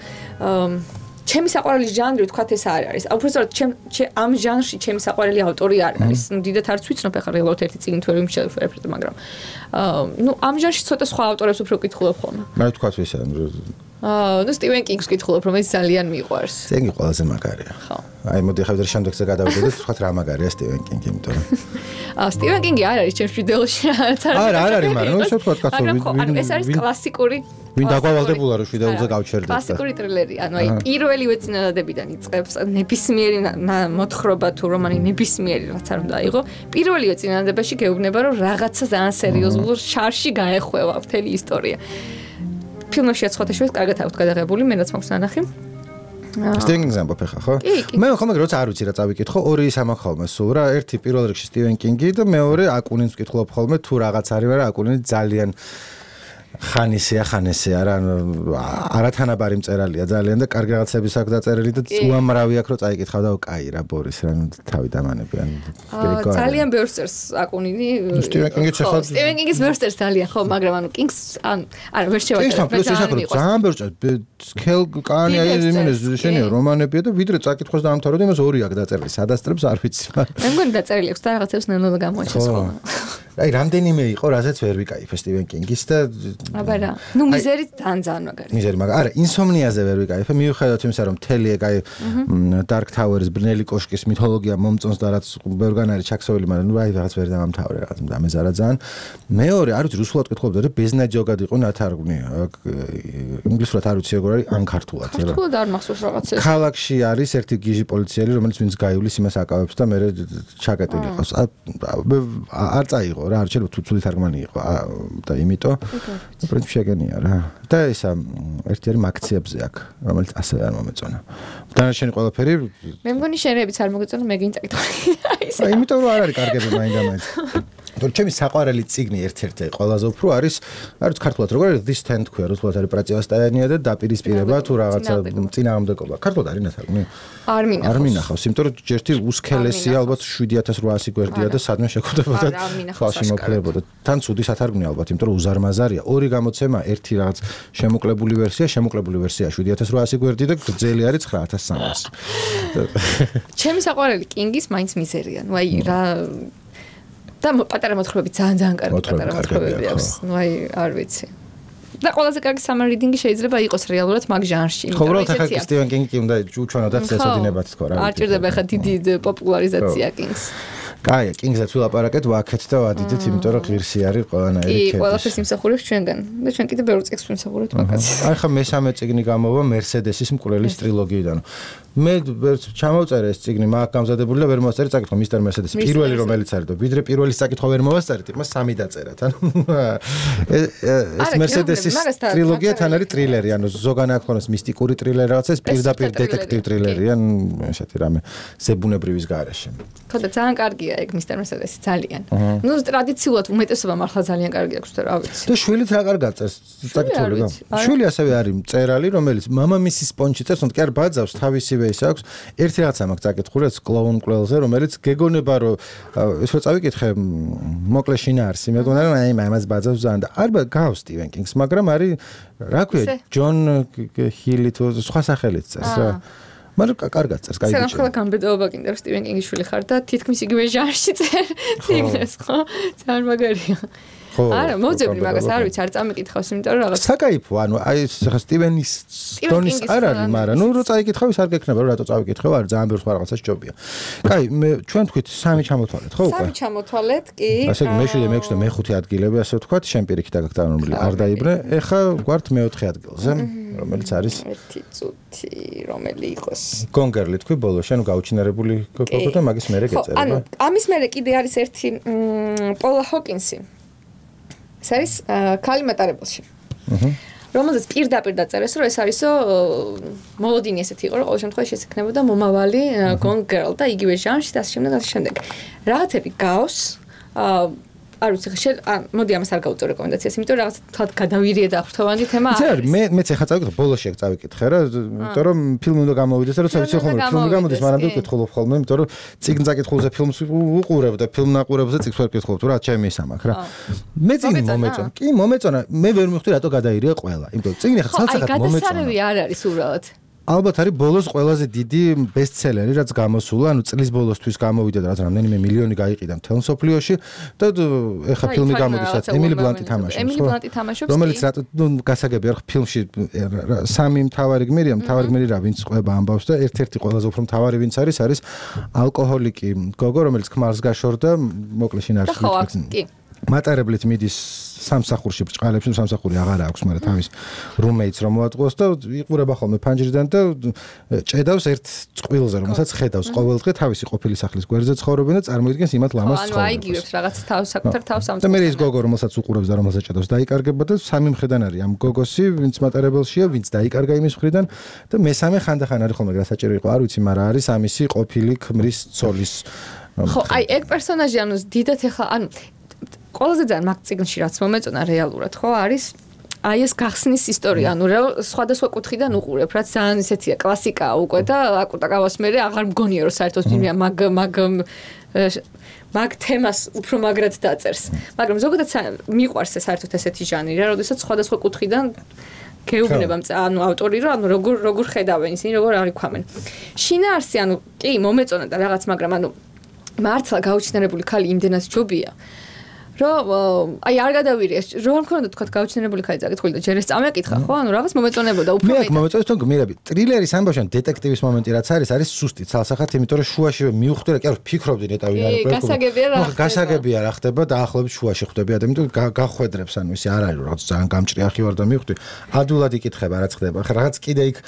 ჩემი საყვარელი ჟანრი ვთქვათ ეს არ არის. უბრალოდ ჩემ ამ ჟანრში ჩემი საყვარელი ავტორი არ არის. ნუ დიდათ არც ვიცნობ ახლა რეალურად ერთი წიგნი თუ ვერ ვიმშევ, მაგრამ ნუ ამ ჟანრში ცოტა სხვა ავტორებს უფრო ვკითხულობ ხოლმე. მე ვთქვათ ვისა აა, ნუ სტივენ კინგს ვკითხულობ, რომელიც ძალიან მიყვარს. სტივენ კინგი ყველაზე მაგარია. ხო. აი მოდი ახლა ვიდრე შემდეგზე გადავიდეთ, ვთქვათ რა მაგარია სტივენ კინგი, იმიტომ რომ აა, სტივენ კინგი არ არის ჩემს ვიდეოში რაღაც არ არის. არა, არ არის, მაგრამ ისე ვთქვათ კაცო, ანუ ეს არის კლასიკური ვინ დაგვალდებულა რომ ვიდეოზე გავჩერდეთ. კლასიკური ტრილერი, ანუ აი პირველივე წინადადებიდან იწყებს ნებისმიერი მოთხრობა თუ რომანი ნებისმიერი რაც არ უნდა იყო. პირველივე წინადადებაში გეუბნება რომ რაღაცა ძალიან სერიოზულ შარში გაეხვევა მთელი ისტორია. ფილმშია სხვათაშორის კარგად აქვს გადაღებული, მე რაც მაქვს ნანახი. სტივენ კინგს ამბობ ხა, ხო? მე ხოლმე როცა არ ვიცი რა წავიკითხო, ორი ის ამბობ ხოლმე სულ რა, ერთი პირველ რიგში სტივენ კინგი და მეორე აკუნინს ვკითხულობ ხოლმე თუ რაღაც არის, მაგრამ აკუნინი ძალიან ხანისია ხანესია რა, არათანაბარი მწერალია ძალიან და კარგი რაღაცების აქვს დაწერილი და უამრავი აქვს რომ წაიკითხავ და კაი რა ბორის რა თავი დამანები ან ძალიან ბევრს წერს აკუნინი. სტივენ კინგიც ახლა სტივენ კინგის ბევრს წერს ძალიან ხო, მაგრამ ანუ კინგს ან არა ვერ შევაჭრე. ძალიან ბევრს წერს. ქელ კანი აიმინეს შენია რომანებია და ვიდრე წაკითხოს დაამთავრა და იმას ორი აქვს დაწერილი. სადასწრებს არ ვიცი. მე მგონი დაწერილი აქვს და რაღაცებს ნელ-ნელა გამოაჩენს ხოლმე. აი რამდენიმე იყო, რასაც ვერ ვიკაიფე სტივენ კინგის და აბა რა. ნუ მიზერი ძალიან მაგარი. მიზერი მაგარი. არა, ინსომნიაზე ვერ ვიკაიფე, მიუხედავად იმისა, რომ მთელი ეგ აი Dark Tower-ის ბნელი კოშკის მითოლოგია მომწონს და რაც ბევრგან არის ჩაქსოვილი, მაგრამ ნუ აი რაღაც ვერ დამამთავრე რაღაც დამეზარა ძალიან. მეორე, არ ვიცი, რუსულად კითხულობდი და ბეზნაჯოგად იყო ნათარგმნი. ინგლისურად არ ვიცი როგორ არის, ან ქართულად. ქართულად არ მახსოვს რაღაცა. ქალაქში არის ერთი გიჟი პოლიციელი, რომელიც ვინც გაივლის იმას აკავებს და მე ჩაკეტილი იყოს. არ წაიღო იყო რა, არ შეიძლება თუ ცუდი თარგმანი იყო და იმიტომ პრინციპი შეგენია რა. და ისა ერთი არის მაქციებზე აქ, რომელიც ასევე არ მომეწონა. დანარჩენი ყველაფერი მე მგონი შენებიც არ მოგეწონა, მე გინდა წაკითხავ. აი, იმიტომ რომ არ არის კარგები მაინდა-მაინც. თორე ჩემი საყვარელი წიგნი ერთ-ერთი ყველაზე უფრო არის, არის ქართულად როგორ არის this ten თქვია, რუსულად არის პრატივასტაიანია და დაპირისპირება თუ რაღაცა წინააღმდეგობა. ქართულად არის ნათარგმნი? არ მინახავს. არ მინახავს, იმიტომ რომ ჯერთი უსქელესია ალბათ შვიდი ათას რვაასი გვერდია და სადმე შეხვდებოდა ხალხი მოქლებოდა. თან ცუდი სათარგმნია ალბათ, იმიტომ რომ უზარმაზარია. ორი გამოცემა, ერთი რაღაც შემოკლებული ვერსია, შემოკლებული ვერსია შვიდი ათას რვაასი გვერდი და გრძელი არის ცხრა ათას სამასი. ჩემი საყვარელი კინგის მაინც მიზერია. ნუ აი რა და პატარა მოთხრობები ძალიან ძალიან კარგი პატარა მოთხრობები აქვს. ნუ აი არ ვიცი. და ყველაზე კარგი summer reading-ი შეიძლება იყოს რეალურად მაგ ჟანრში. ხო, უბრალოდ ახლა სტივენ კინგი უნდა უჩვენოდათ წესოდინებათ თქო რა. არ ჭირდება ახლა დიდი პოპულარიზაცია კინგს. კაი, კინგსაც ვილაპარაკეთ, ვაქეთ და ვადიდეთ, იმიტომ რომ ღირსი არის ყველანაირი კი, ყველაფერს იმსახურებს ჩვენგან. და ჩვენ კიდე ბევრ წიგნს ვიმსახურებთ მაგას. აი ხა მესამე წიგნი გამოვა მერსედესის მკვლელის ტრილოგიიდან. მე ჩამოვწერე ეს წიგნი, მაგ გამზადებული და ვერ მოვასწარი წაკითხვა მისტერ მერსედესი. პირველი რომელიც არის და ვიდრე პირველის წაკითხვა ვერ მოვასწარით, იმას სამი დაწერათ. ანუ ეს მერსედესის ტრილოგია თან არის ტრილერი, ანუ ზოგან აქ ქონოს მისტიკური ტრილერი რაღაცა, ეს პირდაპირ დეტექტივ ტრილერი, ან ესეთი რამე ზებუნებრივის გარეშე. ხო და ძალიან კარგია ეგ მისტერ მერსედესი ძალიან. ნუ ტრადიციულად უმეტესობა მართლა ძალიან კარგი აქვს და რა ვიცი. და შვილით რა კარგად წერს წაკითხული და შვილი ასევე არის მწერალი, რომელიც მამამისის პონჩი წერს, თუმცა კი არ ბაძავს თავისივე ის აქვს. ერთი რაღაცა მაქვს წაკითხული, ეს კლოუნ კვლელზე, რომელიც გეგონება რომ ეს რო წავიკითხე მოკლე შინაარსი, მე მგონა რომ აი მამას ბაძავს ძალიან და არ გავს სტივენ კინგს, მაგრამ არის რა ქვია ჯონ ჰილი თუ სხვა სახელით წერს რა. მაგრამ კარგად წერს, კაი ბიჭია. სანახლა გამბედაობა კიდე რომ სტივენ კინგის შვილი ხარ და თითქმის იგივე ჟანრში წერ წიგნებს, ხო? ძალიან მაგარია. არა, მოძებნი მაგას არ ვიცი, არ წამიკითხავს, იმიტომ რომ რაღაც საკაიფო, ანუ აი ხა სტივენის დონის არ არის, მაგრამ ნუ რო წაიკითხავ ის არ გექნება, რომ რატო წავიკითხავ, არ ძალიან ბევრ სხვა რაღაცას ჯობია. კაი, მე ჩვენ თქვით სამი ჩამოთვალეთ, ხო უკვე? სამი ჩამოთვალეთ, კი. ასე იგი მეშვიდე, მეექვსე და მეხუთე ადგილები, ასე ვთქვათ, შენ პირიქით დაგაგტანებული არ დაიბრე. ეხა გვართ მეოთხე ადგილზე, რომელიც არის ერთი წუთი, რომელი იყოს? გონგერლი თქვი ბოლო, შენ გაუჩინარებული გოგო და მაგის მერე გეწერება. ანუ ამის მერე კიდე არის ერთი პოლა ჰოკინსი. ეს არის ქალი მატარებელში. აჰა. რომელზეც პირდაპირ დაწერეს, რომ ეს არისო მოლოდინი ესეთი იყო, რომ ყოველ შემთხვევაში ეს ექნებოდა მომავალი gone girl და იგივე ჟანრში და ასე შემდეგ და ასე შემდეგ. რაღაცები გავს, აა არ ვიცი, შენ მოდი ამას არ გავუწევ რეკომენდაციას, იმიტომ რომ რაღაც თად გადავირიე და ხრთოვანი თემა არის. ზარ, მე მეც ახლა წავიკითხე, ბოლოში აქ წავიკითხე რა, იმიტომ რომ ფილმი უნდა გამოვიდეს, როცა ვიცი ხოლმე ფილმი გამოდის, მაგრამ ვიკითხულობ ხოლმე, იმიტომ რომ წიგნ წაკითხულზე ფილმს უყურებ და ფილმ ნაყურებზე წიგნს ვერ ვკითხულობ, თუ რა ჩემი ის ამაკ რა. მე წიგნი მომეწონა. კი, მომეწონა. მე ვერ მივხვდი რატო გადაირია ყველა. იმიტომ რომ წიგნი ახლა ცალ-ცალკად მომეწონა. აი, გადასარევი არ არის უბრალოდ. ალბათ არის ბოლოს ყველაზე დიდი ბესტსელერი, რაც გამოსულა, ანუ წლის ბოლოსთვის გამოვიდა და რაც რამდენიმე მილიონი გაიყიდა მთელ მსოფლიოში და ეხა ფილმი გამოდის, რაც ემილი ბლანტი თამაშობს. ემილი ბლანტი თამაშობს. რომელიც რატო ნუ გასაგებია რა ფილმში სამი მთავარი გმირია, მთავარი გმირი რა ვინც ყვება ამბავს და ერთ-ერთი ყველაზე უფრო მთავარი ვინც არის, არის ალკოჰოლიკი გოგო, რომელიც ქმარს გაშორდა, მოკლე შინაარსი ვთქვი. კი. მატარებლით მიდის სამსახურში ბრჭყალებში, სამსახური აღარ აქვს, მაგრამ თავის რუმეიტს რომ მოატყუოს და იყურება ხოლმე ფანჯრიდან და ჭედავს ერთ წყვილზე, რომელსაც ხედავს ყოველდღე თავისი ყოფილი სახლის გვერდზე ცხოვრობენ და წარმოიდგენს იმათ ლამას ცხოვრებას. ანუ აიგივებს რაღაც თავს საკუთარ თავს ამ. და მე ის გოგო, რომელსაც უყურებს და რომელსაც ჭედავს, დაიკარგება და სამი მხრიდან არის ამ გოგოსი, ვინც მატარებელშია, ვინც დაიკარგა იმის მხრიდან და მესამე ხანდახან არის ხოლმე გასაჭირო იყო, არ ვიცი, მაგრამ არის ამისი ყოფილი ქმრის ცოლის. ხო, აი ეგ პერსონაჟი ანუ დიდად ეხლა ანუ ყველაზე ძალიან მაგ წიგნში რაც მომეწონა რეალურად ხო არის აი ეს გახსნის ისტორია ანუ სხვადასხვა კუთხიდან უყურებ რაც ძალიან ისეთია კლასიკაა უკვე და აკუტაკავას მე აღარ მგონია რომ საერთოდ ფილმია მაგ მაგ მაგ თემას უფრო მაგრად დაწერს მაგრამ ზოგადად მიყვარს ეს საერთოდ ესეთი ჟანრი რა როდესაც სხვადასხვა კუთხიდან გეუბნება ანუ ავტორი რომ ანუ როგორ როგორ ხედავენ ისინი როგორ არიქვამენ შინაარსი ანუ კი მომეწონა და რაღაც მაგრამ ანუ მართლა გაუჩინარებული ქალი იმდენად ჯობია რომ აი არ გადავირიე რომ მქონდა თქვა გაუჩინარებული ხაი წაკითხული და ჯერ ეს წამეკითხა ხო ანუ რაღაც მომეწონებოდა უფრო მე მომეწონებს თქო გმირები ტრილერის ამბავში დეტექტივის მომენტი რაც არის არის სუსტი ცალსახად იმიტომ რომ შუაში მივხვდი რა კი არ ფიქრობდი ნეტავი რა გასაგებია რა გასაგებია რა ხდება დაახლოებით შუაში ხვდები ადამიანს გახვედრებს ანუ ისე არ არის რომ რაღაც ძალიან გამჭრიახი ვარ და მივხვდი ადულად იკითხება რაც ხდება ხა რაღაც კიდე იქ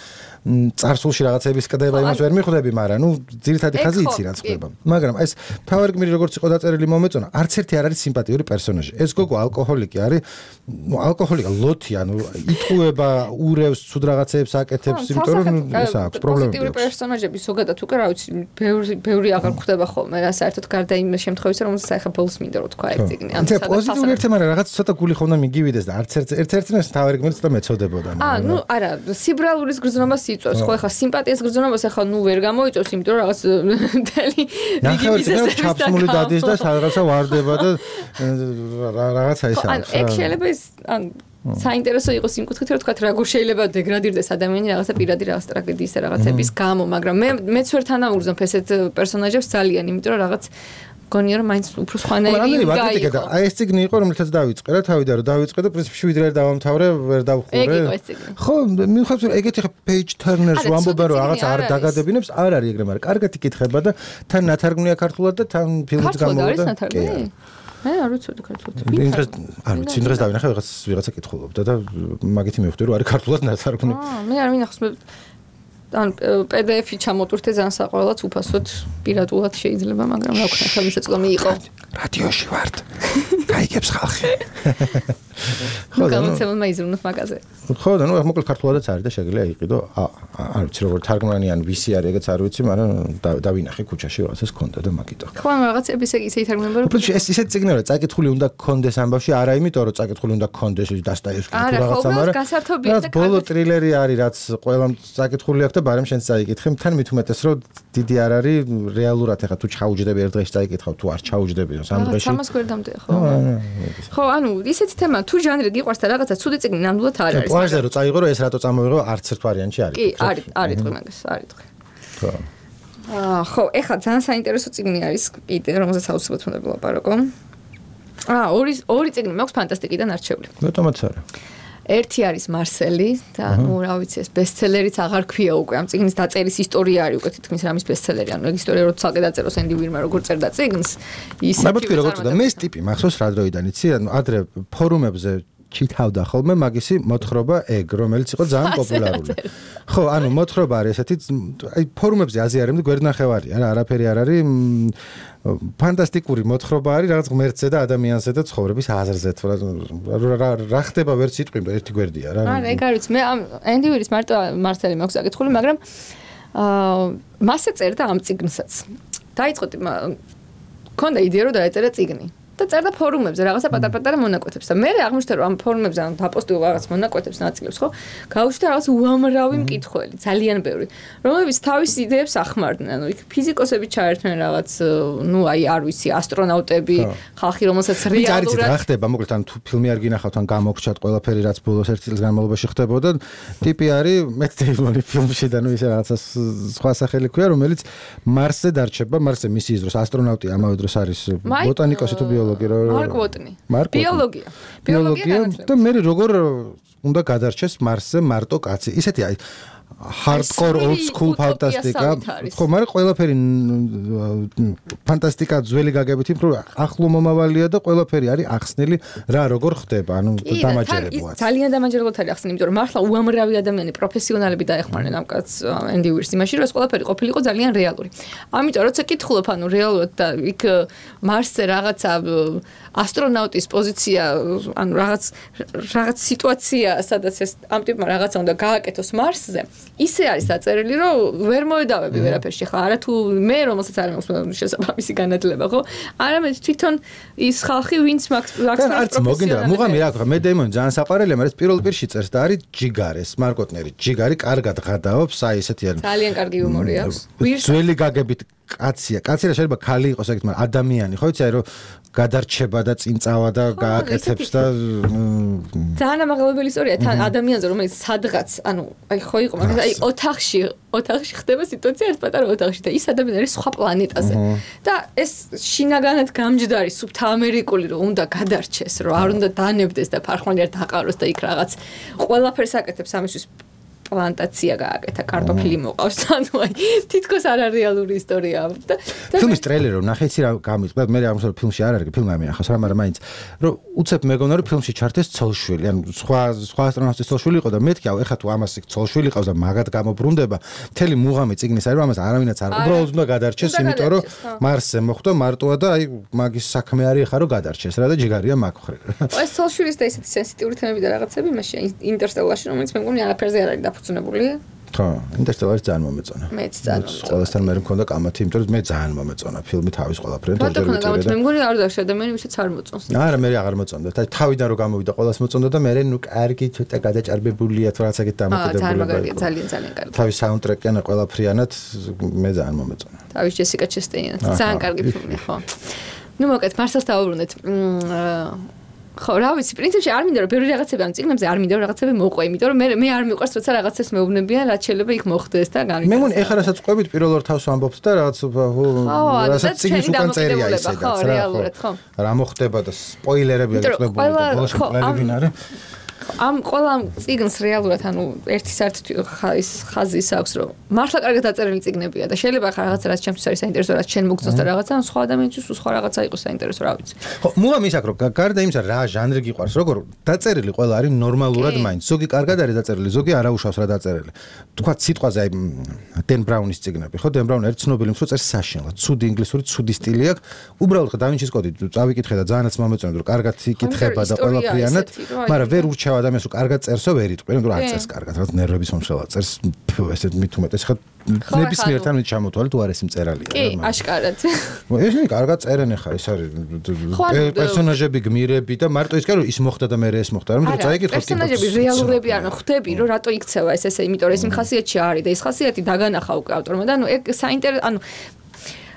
წარსულში რაღაცების კდება იმას ვერ მიხვდები მაგრამ ნუ ძირითადი ხაზი იცი რაც ხდება მაგრამ ეს თავარი გმირი როგორც იყო დაწერილი მომეწონა არც ერთი არ არის სიმპათია მითოლოგიური პერსონაჟი. ეს გოგო ალკოჰოლიკი არის, ნუ ალკოჰოლიკა ლოთი, ანუ იტყუება, ურევს, ცუდ რაღაცეებს აკეთებს, იმიტომ რომ ეს აქვს პრობლემები. პოზიტიური პერსონაჟები ზოგადად უკვე რა ვიცი, ბევრი ბევრი აღარ გვხვდება ხოლმე რა საერთოდ გარდა იმ შემთხვევისა, რომელსაც ახლა ბოლოს მინდა რომ თქვა ეს წიგნი. ანუ პოზიტიური ერთე, მაგრამ რაღაც ცოტა გული ხომ მიგივიდეს და არც ერთ ერთ ერთ თავი გმირს და მეწოდებოდა. აა, ნუ არა, სიბრალურის გრძნობას იწვევს, ხო ახლა სიმპათიას გრძნობას ახლა ნუ ვერ გამოიწვევს, იმიტომ რომ რაღაც მთელი რიგი ბიზნესის ჩაფსმული დადის და რაღაცა ვარდება და რაღაცა ის არის. ან ეგ შეიძლება ის ან საინტერესო იყოს იმ კუთხით რომ თქვა როგორ შეიძლება დეგრადირდეს ადამიანი რაღაცა პირადი რაღაც ტრაგედიის და რაღაცების გამო, მაგრამ მე მეც ვერ თანაუგრძნობ ესეთ პერსონაჟებს ძალიან, იმიტომ რომ რაღაც გონია რომ მაინც უფრო სხვანაირი გაიყო. აი ეს წიგნი იყო რომელთაც დავიწყე რა თავიდან რომ დავიწყე და პრინციპში ვიდრე არ დავამთავრე, ვერ დავხურე. ეგ იყო ეს წიგნი. ხო, მივხვდით რომ ეგეთი ხა page turners ვამბობენ რომ რაღაც არ დაგადებინებს, არ არის ეგრე, მაგრამ კარგად იკითხება და თან ნათარგმნია ქართულად და თან ფილმიც გამოვიდა. მე არ ვიცოდი ქართულად. ინტერეს არ ვიცი, ინტერეს დავინახე რაღაც ვიღაცა კითხულობდა და მაგითი მივხვდი რომ არის ქართულად ნათარგმნი. აა, მე არ მინახავს მე ან პი დი ეფი ჩამოტვირთე ძალიან საყოველად უფასოდ პირადულად შეიძლება, მაგრამ რა ვქნა, ხელმისაწვდომი იყო. რადიოში ვართ. გაიგებს ხალხი. ხო, გამოცემულმა იზრუნოს მაგაზე. ხო, და ნუ მოკლედ ქართულადაც არის და შეგიძლია იყიდო. არ ვიცი როგორ თარგმნანი ან ვისი არის, ეგეც არ ვიცი, მაგრამ დავინახე ქუჩაში რაღაცას ქონდა და მაგიტო. ხო, რაღაცების ეგ ისე ითარგმნება რომ პრინციპში ეს ისეთ წიგნია, რომ წაკითხული უნდა გქონდეს ამბავში, არა იმიტომ რომ წაკითხული უნდა გქონდეს დასტაევსკი თუ რაღაცა, მაგრამ რაც ბოლო ტრილერი არის, რაც ყველამ წაკითხული აქვს და ბარემ შენც წაიკითხე, თან მით უმეტეს რომ დიდი არ არის რეალურად ეხა თუ ჩაუჯდები ერთ დღეში წაიკითხავ, თუ არ ჩაუჯდები სამ დღეში. სამას ვერ დამტეხ, ხო. ხო, ანუ ისეთი თემა თუ ჟანრი გიყვარს და რაღაცა ცუდი წიგნი ნამდვილად არ არის. პლაჟზე რომ წაიღო რომ ეს რატო წამოიღო არც ერთ ვარიანტში არის. კი, არის, არის თქვი მაგას, არის თქვი. ხო. აა, ხო, ეხლა ძალიან საინტერესო წიგნი არის კიდე, რომელზეც აუცილებლად უნდა ვილაპარაკო. აა, ორი ორი წიგნი მაქვს ფანტასტიკიდან არჩეული. მეტომაც არა. ერთი არის მარსელი და ნუ რა ვიცი ეს ბესტსელერიც აღარ ქვია უკვე ამ წიგნის დაწერის ისტორია არის უკვე თითქმის რამის ბესტსელერი ანუ ეგ ისტორია რო ცალკე დაწეროს ენდი ვირმა როგორ წერდა წიგნს ის მე მეთქი როგორ წერდა მე ეს ტიპი მახსოვს რა დროიდან იცი ანუ ადრე ფორუმებზე ჩითავდა ხოლმე მაგისი მოთხრობა ეგ რომელიც იყო ძალიან პოპულარული ხო ანუ მოთხრობა არის ესეთი აი ფორუმებზე აზიარებდი გვერდნახევარია რა არაფერი არ არის ფანტასტიკური მოთხრობა არის რაღაც ღმერთზე და ადამიანზე და ცხოვრების აზრზე თუ რა რა ხდება ვერ სიტყვი ერთი გვერდია რა არა ეგ არის მე ამ ენდი ვირის მარტო მარსელი მაქვს აკითხული მაგრამ აა მასე წერდა ამ წიგნსაც დაიწყო მქონდა იდეა რომ დაეწერა წიგნი და წერდა ფორუმებზე რაღაცა პატარ-პატარა მონაკვეთებს და მე აღმოჩნდა რომ ამ ფორუმებზე ან დაპოსტილ რაღაც მონაკვეთებს ნაწილებს ხო გავუშვდა რაღაც უამრავი მკითხველი ძალიან ბევრი რომლებიც თავის იდეებს ახმარდნენ ანუ იქ ფიზიკოსები ჩაერთვნენ რაღაც ნუ აი არ ვიცი ასტრონავტები ხალხი რომელსაც რეალურად რა ხდება მოკლედ ან თუ ფილმი არ გინახავთ ან გამოგრჩათ ყველაფერი რაც ბოლოს ერთი წლის განმავლობაში ხდებოდა ტიპი არის მეტ დეიმონი ფილმში და ნუ ისე რაღაცა სხვა სახელი ქვია რომელიც მარსზე დარჩება მარსზე მისიის დროს ასტრონავტი ამავე დროს არის ბოტანიკოსი თუ მარკ ვოტნი. ბიოლოგია. ბიოლოგია და მე როგორ უნდა გადარჩეს მარსზე მარტო კაცი. ისეთი აი hardcore old school ფანტასტიკა. ხო, მაგრამ ყველაფერი ფანტასტიკა ძველი გაგებით იმ რომ ახლო მომავალია და ყველაფერი არის ახსნილი რა როგორ ხდება. ანუ დამაჯერებლად. ძალიან დამაჯერებლად არის ახსნილი, იმიტომ რომ მართლა უამრავი ადამიანი პროფესიონალები დაეხმარნენ ამ კაცს ენდი ვირს იმაში, რომ ეს ყველაფერი ყოფილიყო ძალიან რეალური. ამიტომ როცა კითხულობ, ანუ რეალურად და იქ მარსზე რაღაცა ასტრონავტის პოზიცია, ანუ რაღაც რაღაც სიტუაცია, სადაც ეს ამ ტიპმა რაღაცა უნდა გააკეთოს მარსზე. ისე არის დაწერილი, რომ ვერ მოედავები ვერაფერში. ხა არა თუ მე რომელსაც არ მაქვს შესაბამისი განათლება, ხო? არამედ თვითონ ის ხალხი, ვინც მაქვს არც მოგინდა, მუღამი რა ქვია, მე დეიმონი ძალიან საყვარელია, მაგრამ ეს პირველ პირში წერს და არის ჯიგარეს, მარკოტნერი. ჯიგარი კარგად ღადაობს, აი ესეთი არის. ძალიან კარგი იუმორი აქვს. ძველი გაგებით კაცია. კაცი რა შეიძლება ქალი იყოს ეგეთ, მაგრამ ადამიანი, ხო იცი, აი რომ გადარჩება და წინწავა და გააკეთებს და ძალიან ამაღლებელი ისტორია თან ადამიანზე რომელიც სადღაც ანუ აი ხო იყო მაგრამ აი ოთახში ოთახში ხდება სიტუაცია ერთ პატარა ოთახში და ის ადამიანი არის სხვა პლანეტაზე და ეს შინაგანად გამჯდარი სუბთაამერიკული რომ უნდა გადარჩეს რომ არ უნდა დანებდეს და ფარხმალი არ დაყაროს და იქ რაღაც ყველაფერს აკეთებს ამისთვის პლანტაცია გააკეთა, კარტოფილი მოყავს, ანუ აი თითქოს არარეალური ისტორიაა. ფილმის ტრეილერი რომ ნახე იცი რა გამიწყდა, მე ამასო ფილმში არ არის, ფილმი ამი ახავს რა, მაგრამ მაინც რომ უცებ მეგონა რომ ფილმში ჩართეს ცოლშვილი, ანუ სხვა სხვა ასტრონავტის ცოლშვილი იყო და მეთქი აუ ეხა თუ ამას ცოლშვილი ყავს და მაგად გამობრუნდება, მთელი მუღამი წიგნის არის რომ ამას არავინაც არ უბრალოდ უნდა გადარჩეს, იმიტომ რომ მარსზე მოხვდა მარტოა და აი მაგის საქმე არის ეხა რომ გადარჩეს რა და ჯიგარია მაგ ხრე. ეს ცოლშვილის და ისეთი სენსიტიური თემები და რაღაცები მაშინ ინტერსტელარში რომელიც მე მგონი არაფერზე არ არის დაფუძნებული. ხო, ინტერსტელარი ძალიან მომეწონა. მეც ძალიან მომეწონა. ყველასთან მე მქონდა კამათი, იმიტომ რომ მე ძალიან მომეწონა ფილმი თავის ყველაფრიდან და ჯერ ვიწერე. მე მგონი არ დავშ ადამიანი ვისაც არ მოწონს. არა, მე აღარ მოწონდა. თავიდან რომ გამოვიდა ყველას მოწონდა და მე ნუ კარგი ცოტა გადაჭარბებულია თუ რაღაცაკეთ დამოკიდებულება. აა, ძალიან ძალიან ძალიან კარგი. თავის საუნდტრეკიანა ყველაფრიანად მე ძალიან მომეწონა. თავის ჯესიკა ჩესტეინად ძალიან კარგი ფილმია, ხო. ნუ მოკეთ, მარსელს დავუბრუნდეთ. ხო, რა ვიცი, პრინციპში არ მინდა რომ ბევრი რაღაცები ამ წიგნებზე არ მინდა რომ რაღაცები მოყვე, იმიტომ რომ მე მე არ მიყვარს როცა რაღაცებს მეუბნებიან, რაც შეიძლება იქ მოხდეს და განვითარდეს. მე მგონი ეხლა რასაც ყვებით პირველ ორ თავს ვამბობთ და რაღაც რასაც წიგნის უკან წერია ისედაც რა. რეალურად, ხო. რა მოხდება და სპოილერები აღწევებული და ბოლოს ყველები ვინ არის? ამ ყველა წიგნს რეალურად ანუ ერთი საერთო ის ხაზის აქვს რომ მართლა კარგად დაწერილი წიგნებია და შეიძლება ხარ რაღაცა რაც ჩემთვის არის საინტერესო რაც შენ მოგწონს და რაღაცა ან სხვა ადამიანისთვის სხვა რაღაცა იყოს საინტერესო რა ვიცი. ხო, მუღამ ის აქ რომ გარდა იმისა რა ჟანრი გიყვარს როგორ დაწერილი ყველა არის ნორმალურად მაინც ზოგი კარგად არის დაწერილი ზოგი არაუშავს რა დაწერილი. თქვა სიტყვაზე აი დენ ბრაუნის წიგნები ხო დენ ბრაუნი ერთ ცნობილი მსო წერს საშინლად ცუდი ინგლისური ცუდი სტილი აქვს უბრალოდ და ვინჩის კოდი წავიკითხე და ძალიანაც მომეწონა რომ კარგად იკითხება და ყველაფრიანად მაგრამ ვერ ურჩევ ადამიანს რომ კარგად წერსო ვერ იტყვი, რომ არ წერს კარგად, რაც ნერვების მომშელა წერს, ესეთ მით უმეტეს ხა ნებისმიერთან მით ჩამოთვალე თუ არ ეს მწერალია. კი, აშკარად. ეს ნი კარგად წერენ ხა, ეს არის პერსონაჟები გმირები და მარტო ის კარო ის მოხდა და მე ეს მოხდა, რომ წაიკითხო ტიპი. პერსონაჟები რეალურები არიან, ხვდები, რომ რატო იქცევა ეს ესე, იმიტომ რომ ეს იმ ხასიათში არის და ეს ხასიათი დაგანახა უკვე ავტორმა და ანუ ეგ საინტერესო, ანუ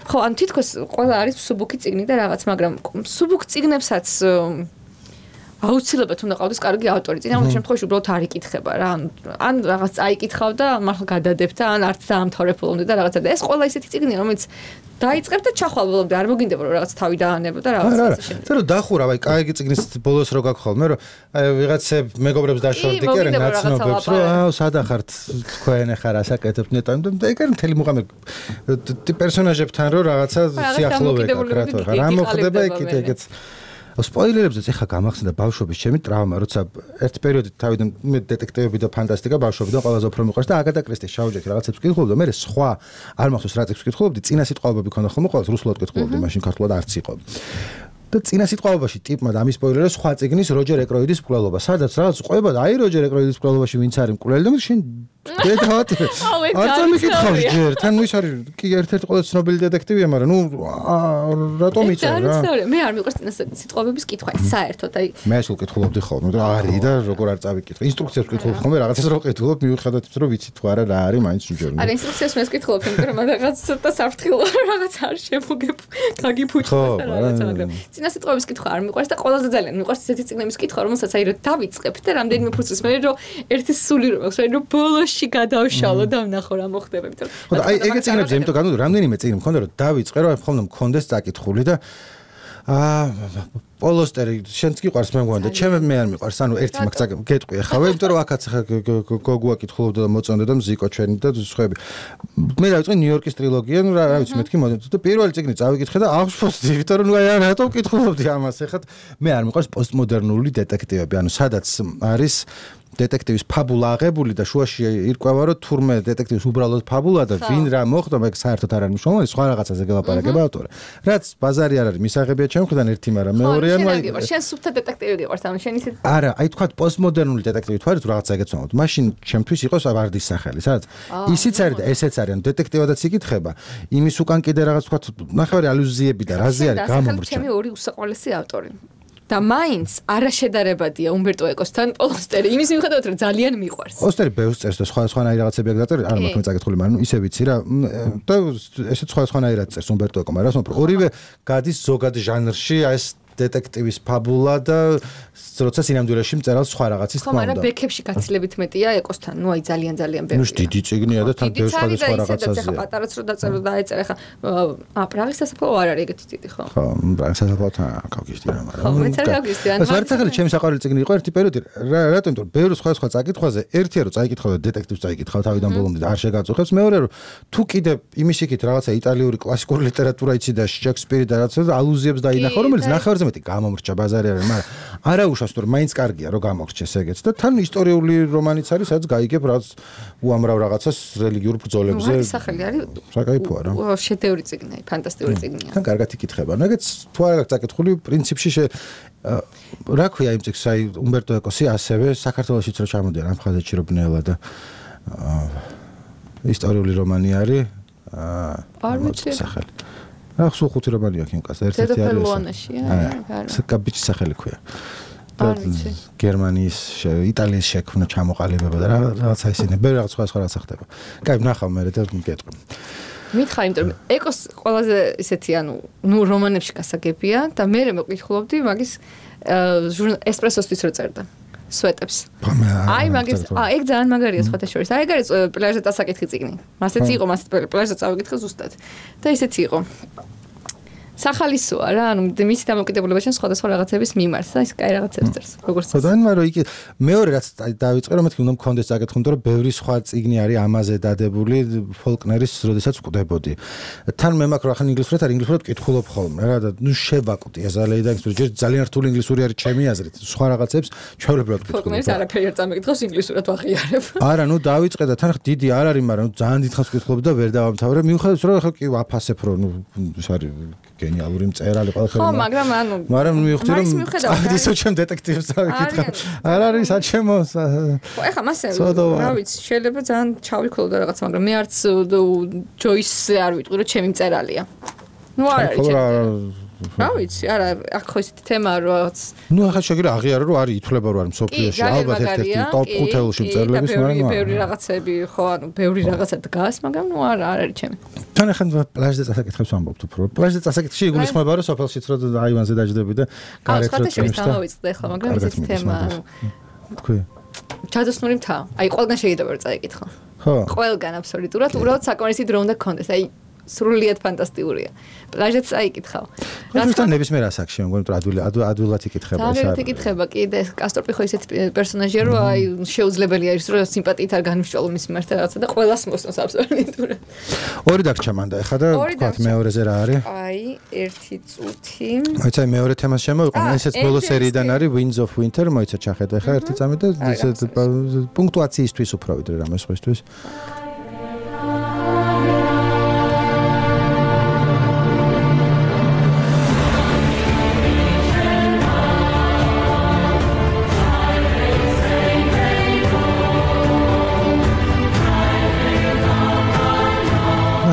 ხო, ანუ თითქოს ყველა არის სუბუქი წიგნი და რაღაც, მაგრამ სუბუქ წიგნებსაც აუცილებლად უნდა ყავდეს კარგი ავტორი. წინ ამ შემთხვევაში უბრალოდ არ იკითხება რა. ან რაღაც წაიკითხავ და მართლა გადადებ და ან არც დაამთავრებულობდი და რაღაცა. და ეს ყველა ისეთი წიგნია, რომელიც დაიწყებ და ჩახვალ ბოლომდე არ მოგინდება რომ რაღაც თავი დაანებო და რაღაც ასე შემდეგ. წერო დახურა, აი კაიგი წიგნის ბოლოს რო გაგხვალ, მე რომ აი ვიღაცებ მეგობრებს დაშორდი კი არა ნაცნობებს რომ აუ სადა ხართ თქვენ ახლა რასაკეთებთ ნეტა და ეგ არის მთელი მუღამი პერსონაჟებთან რომ რაღაცა სიახლოვე გაკრატო. რა მოხდება იქ ეგეც სპოილერებზეც ეხა გამახსენდა ბავშვობის ჩემი ტრავმა, როცა ერთ პერიოდით თავიდან მე დეტექტივები და ფანტასტიკა ბავშვობიდან ყველაზე უფრო მიყვარს და აგატა კრისტის შაუჯეთი რაღაცებს ვკითხულობდი და მე სხვა არ მახსოვს რა ტექსტს ვკითხულობდი, წინა სიტყვებები ქონდა ხოლმე ყოველს რუსულად ვკითხულობდი, მაშინ ქართულად არც იყო. და წინა სიტყვებაში ტიპმა და ამის სპოილერებს სხვა წიგნის როჯერ ეკროიდის მკვლელობა, სადაც რაღაც ყვება და აი როჯერ ეკროიდის მკვლელობაში ვინც არის მკვლელი და შენ დედავთ არ წამიკითხავ ჯერ თან ის არის კი ერთ-ერთი ყველაზე ცნობილი დეტექტივია, მაგრამ ნუ რატომ იცი რა მე არ მიყვარს წინა სიტყვების კითხვა საერთოდ აი მე ეს ვკითხულობდი ხოლმე და არის და როგორ არ წავიკითხე ინსტრუქციებს ვკითხულობ ხოლმე რაღაცას რო ვკითხულობ მიუხედავად იმისა რომ ვიცი თუ არა რა არის მაინც უჯერ არა ინსტრუქციებს მე ვკითხულობ იმიტომ რომ რაღაც ცოტა საფრთხილო რაღაც არ შემოგებ გაგიფუჭდა და რაღაცა მაგრამ წინა სიტყვების კითხვა არ მიყვარს და ყველაზე ძალიან მიყვარს ესეთი წიგნების კითხვა რომელსაც აი რომ დავიწყებ და რამდენიმე ფუძის მე რომ ერთი სული რომ აქვს აი რომ ბოლოში გადავშალო და ვნახო რა მოხდება იმიტომ ხო და აი ეგეც წიგნებზე იმიტომ განვიდო რამდენიმე წიგნი მქონდა რომ დავიწყე რომ ხომ მქონდეს წაკითხული და აა პოლოსტერი შენც გიყვარს მე მგონი და ჩემ მე არ მიყვარს ანუ ერთი მაგ გეტყვი ახავე იმიტომ რომ აქაც ახლა გოგუა კითხულობდა და მოწონდა და მზიკო ჩვენი და სხვები მე დავიწყე ნიუ-იორკის ტრილოგია ნუ რა ვიცი მეთქი მოდი და პირველი წიგნი წავიკითხე და აღშფოთდი იმიტომ რომ ნუ აი რატო ვკითხულობდი ამას ახლა მე არ მიყვარს პოსტმოდერნული დეტექტივები ანუ სადაც არის დეტექტივის ფაბულა აღებული და შუაში ირკვევა რომ თურმე დეტექტივის უბრალოდ ფაბულა და ვინ რა მოხდა მაგ საერთოდ არ არის მნიშვნელოვანი სხვა რაღაცაზე გელაპარაკება ავტორი რაც ბაზარი არ არის მისაღებია ჩემ მხრიდან ერთი მაგრამ მეორე ანუ აი შენ სუფთა დეტექტივი გიყვარს ანუ შენ ისე არა აი თქვა პოსტმოდერნული დეტექტივი თუ არის თუ რაღაცა ეგეცნობთ მაშინ ჩემთვის იყოს ვარდის სახელი სადაც ისიც არის და ესეც არის ანუ დეტექტივადაც იკითხება იმის უკან კიდე რაღაც თქვა ნახევარი ალუზიები და რაზე არის გამომრჩა ჩემი ორი უსაყვარლესი ავტორი და მაინც არაშედარებადია უმბერტო ეკოსთან პოლოსტერი იმის მიუხედავად რომ ძალიან მიყვარს. პოლოსტერი ბევრს წერს და სხვა სხვანაირი რაღაცები აქვს დაწერილი, არ მაქვს წაკითხული, მაგრამ ისე ვიცი რა და ესეც სხვა სხვანაირად წერს უმბერტო ეკო, მაგრამ რა თქმა უნდა ორივე გადის ზოგად ჟანრში, აი ეს დეტექტივის ფაბულა და როცა სინამდვილეში მწერალს სხვა რაღაცის თქმა უნდა. ხომ, მაგრამ ბექებში გაცილებით მეტია ეკოსთან, ნუ აი ძალიან ძალიან ბევრია. ნუ დიდი წიგნია და თან ბევრ სხვადასხვა რაღაცაზეა. ხა პატარაც რო დაწერო და დაეწერა ხა ა პრაღის სასაფლაო არ არის ეგეთი ტიპი ხო? ხო, პრაღის სასაფლაოთან გავგიშდი რა, მაგრამ. ხო, მეც არ გავგიშდი. ეს არ წახალი ჩემი საყვარელი წიგნი იყო ერთი პერიოდი, რატომ იმიტომ ბევრ სხვადასხვა წაკითხვაზე, ერთია რომ წაიკითხავ და დეტექტივს წაიკითხავ თავიდან ბოლომდე არ შეგაწუხებს, მეორე რომ თუ კიდე იმის იქით რაღაცა იტალიური კლასიკური ლიტერატურა იცი და შექსპირი და რაღაცა ალუზიებს დაინახო, რომელიც ნახევარზე მეტი გამომრჩა ბაზარი არის, მაგრამ არა უშავს თუ მაინც კარგია რომ გამორჩეს ეგეც და თან ისტორიული რომანიც არის, სადაც გაიგებ რაც უამრავ რაღაცას რელიგიურ ბრძოლებზე. ეს სახელი არის საკაიფოა რა. შედევრი წიგნია, ფანტასტიკური წიგნია. თან კარგად იკითხება. ეგეც თუ არ აქვს წაკითხული პრინციპში რა ქვია იმ წიგნს, აი უმბერტო ეკოსი ასევე საქართველოშიც რო ჩამოდიან ამ ხაზეთში რო ბნელა და ისტორიული რომანი არის. არ ვიცი სახელი. რა სულ ხუთი რომანი აქვს იმ კაცს, ერთ-ერთი არის. დედოფალონაშია, არა. კაბიჩის სახელი ქვია. გერმანიის, იტალიის შექმნა ჩამოყალიბება და რაღაცა ისინი, ბევრი რაღაც სხვა სხვა რაღაცა ხდება. კაი, ნახავ მე და მკეთრი. მითხარ, იმიტომ რომ ეკოს ყველაზე ისეთი, ანუ, ნუ რომანებში გასაგებია და მე მე მეკითხულობდი მაგის ესპრესოსთვის რო წერდა. სვეტებს. აი მაგის, აა ეგ ძალიან მაგარია სხვათა შორის. აი ეგ არის პლაჟზე დასაკითხი წიგნი. მასეც იყო, მას პლაჟზე წავიკითხე ზუსტად. და ისეთი იყო. სახალისოა რა, ანუ მის დამოკიდებულებაში სხვადასხვა რაღაცების მიმართ და ის კაი რაღაცებს წერს. როგორც ხო, და მაგრამ იქ მეორე რაც დავიწყე რომ მეთქი უნდა მქონდეს წაკითხი, იმიტომ რომ ბევრი სხვა წიგნი არის ამაზე დადებული ფოლკნერის, როდესაც ვკვდებოდი. თან მე მაქვს რა ხან ინგლისურად არ ინგლისურად ვკითხულობ ხოლმე რა და ნუ შევაკვდი ეზალეი და ის ძალიან რთული ინგლისური არის ჩემი აზრით. სხვა რაღაცებს ჩვეულებრივად ვკითხულობ. ფოლკნერის არაფერი არ წამიკითხავს ინგლისურად ვაღიარებ. არა, ნუ დავიწყე და თან დიდი არ არის, მაგრამ ძალიან დიდხანს ვკითხულობ და ვერ დავამთავრე. მიუხედავად რომ ხო კი ვაფასებ რომ ნუ ის არის გენიალური მწერალი ყველაფერი. ხო, მაგრამ ანუ მაგრამ მივხვდი რომ ისო ჩემ დეტექტივს დავიკითხა. არ არის საჩემო. ხო, ეხლა მასე რა ვიცი, შეიძლება ძალიან ჩავიქოლო და რაღაც, მაგრამ მე არც ჯოისზე არ ვიტყვი რომ ჩემი მწერალია. ნუ არ არის ჩემი. რა ვიცი, არა, აქ ხო ისეთი თემაა რაღაც. ნუ ახლა შეგირა აღიარა რომ არის ითვლება რომ არის მსოფლიოში ალბათ ერთ-ერთი ტოპ ხუთეულში მწერლების, მაგრამ ბევრი რაღაცები ხო, ანუ ბევრი რაღაცა დგას, მაგრამ ნუ არა, არ არის ჩემი. თან ახლა პლაჟზე წასაკითხებს ვამბობთ უფრო. პლაჟზე წასაკითხში იგულისხმება რომ სოფელშიც რო აივანზე დაждები და გარეთ რო წვიმს და დავიწყდა ახლა, მაგრამ ისეთი თემაა, ანუ თქვი. ჩადოსნური მთა. აი, ყველგან შეიძლება რომ წაიკითხო. ხო. ყველგან აბსოლუტურად, უბრალოდ საკმარისი დრო უნდა გქონდეს. აი სრულიად ფანტასტიკურია. პლაჟეც აიკითხავ. რადგან ნებისმიერ ასაკში, მგონი რომ ადვილი ადვილად იკითხება ეს. ადვილად იკითხება კი და კასტორპი ხო ისეთი პერსონაჟია, რომ აი შეუძლებელი არის რომ სიმპათიით არ განვიშვალო მის მიმართ რაღაცა და ყველას მოსწონს აბსოლუტურად. ორი დაგჭა მანდა ეხა და თქვათ მეორეზე რა არის? აი, ერთი წუთი. მოიცა მეორე თემას შემოვიყვანე, ესეც ბოლო სერიიდან არის Winds of Winter, მოიცა ჩახედა ეხა ერთი წამი და პუნქტუაციისთვის უფრო ვიდრე რამე სხვისთვის.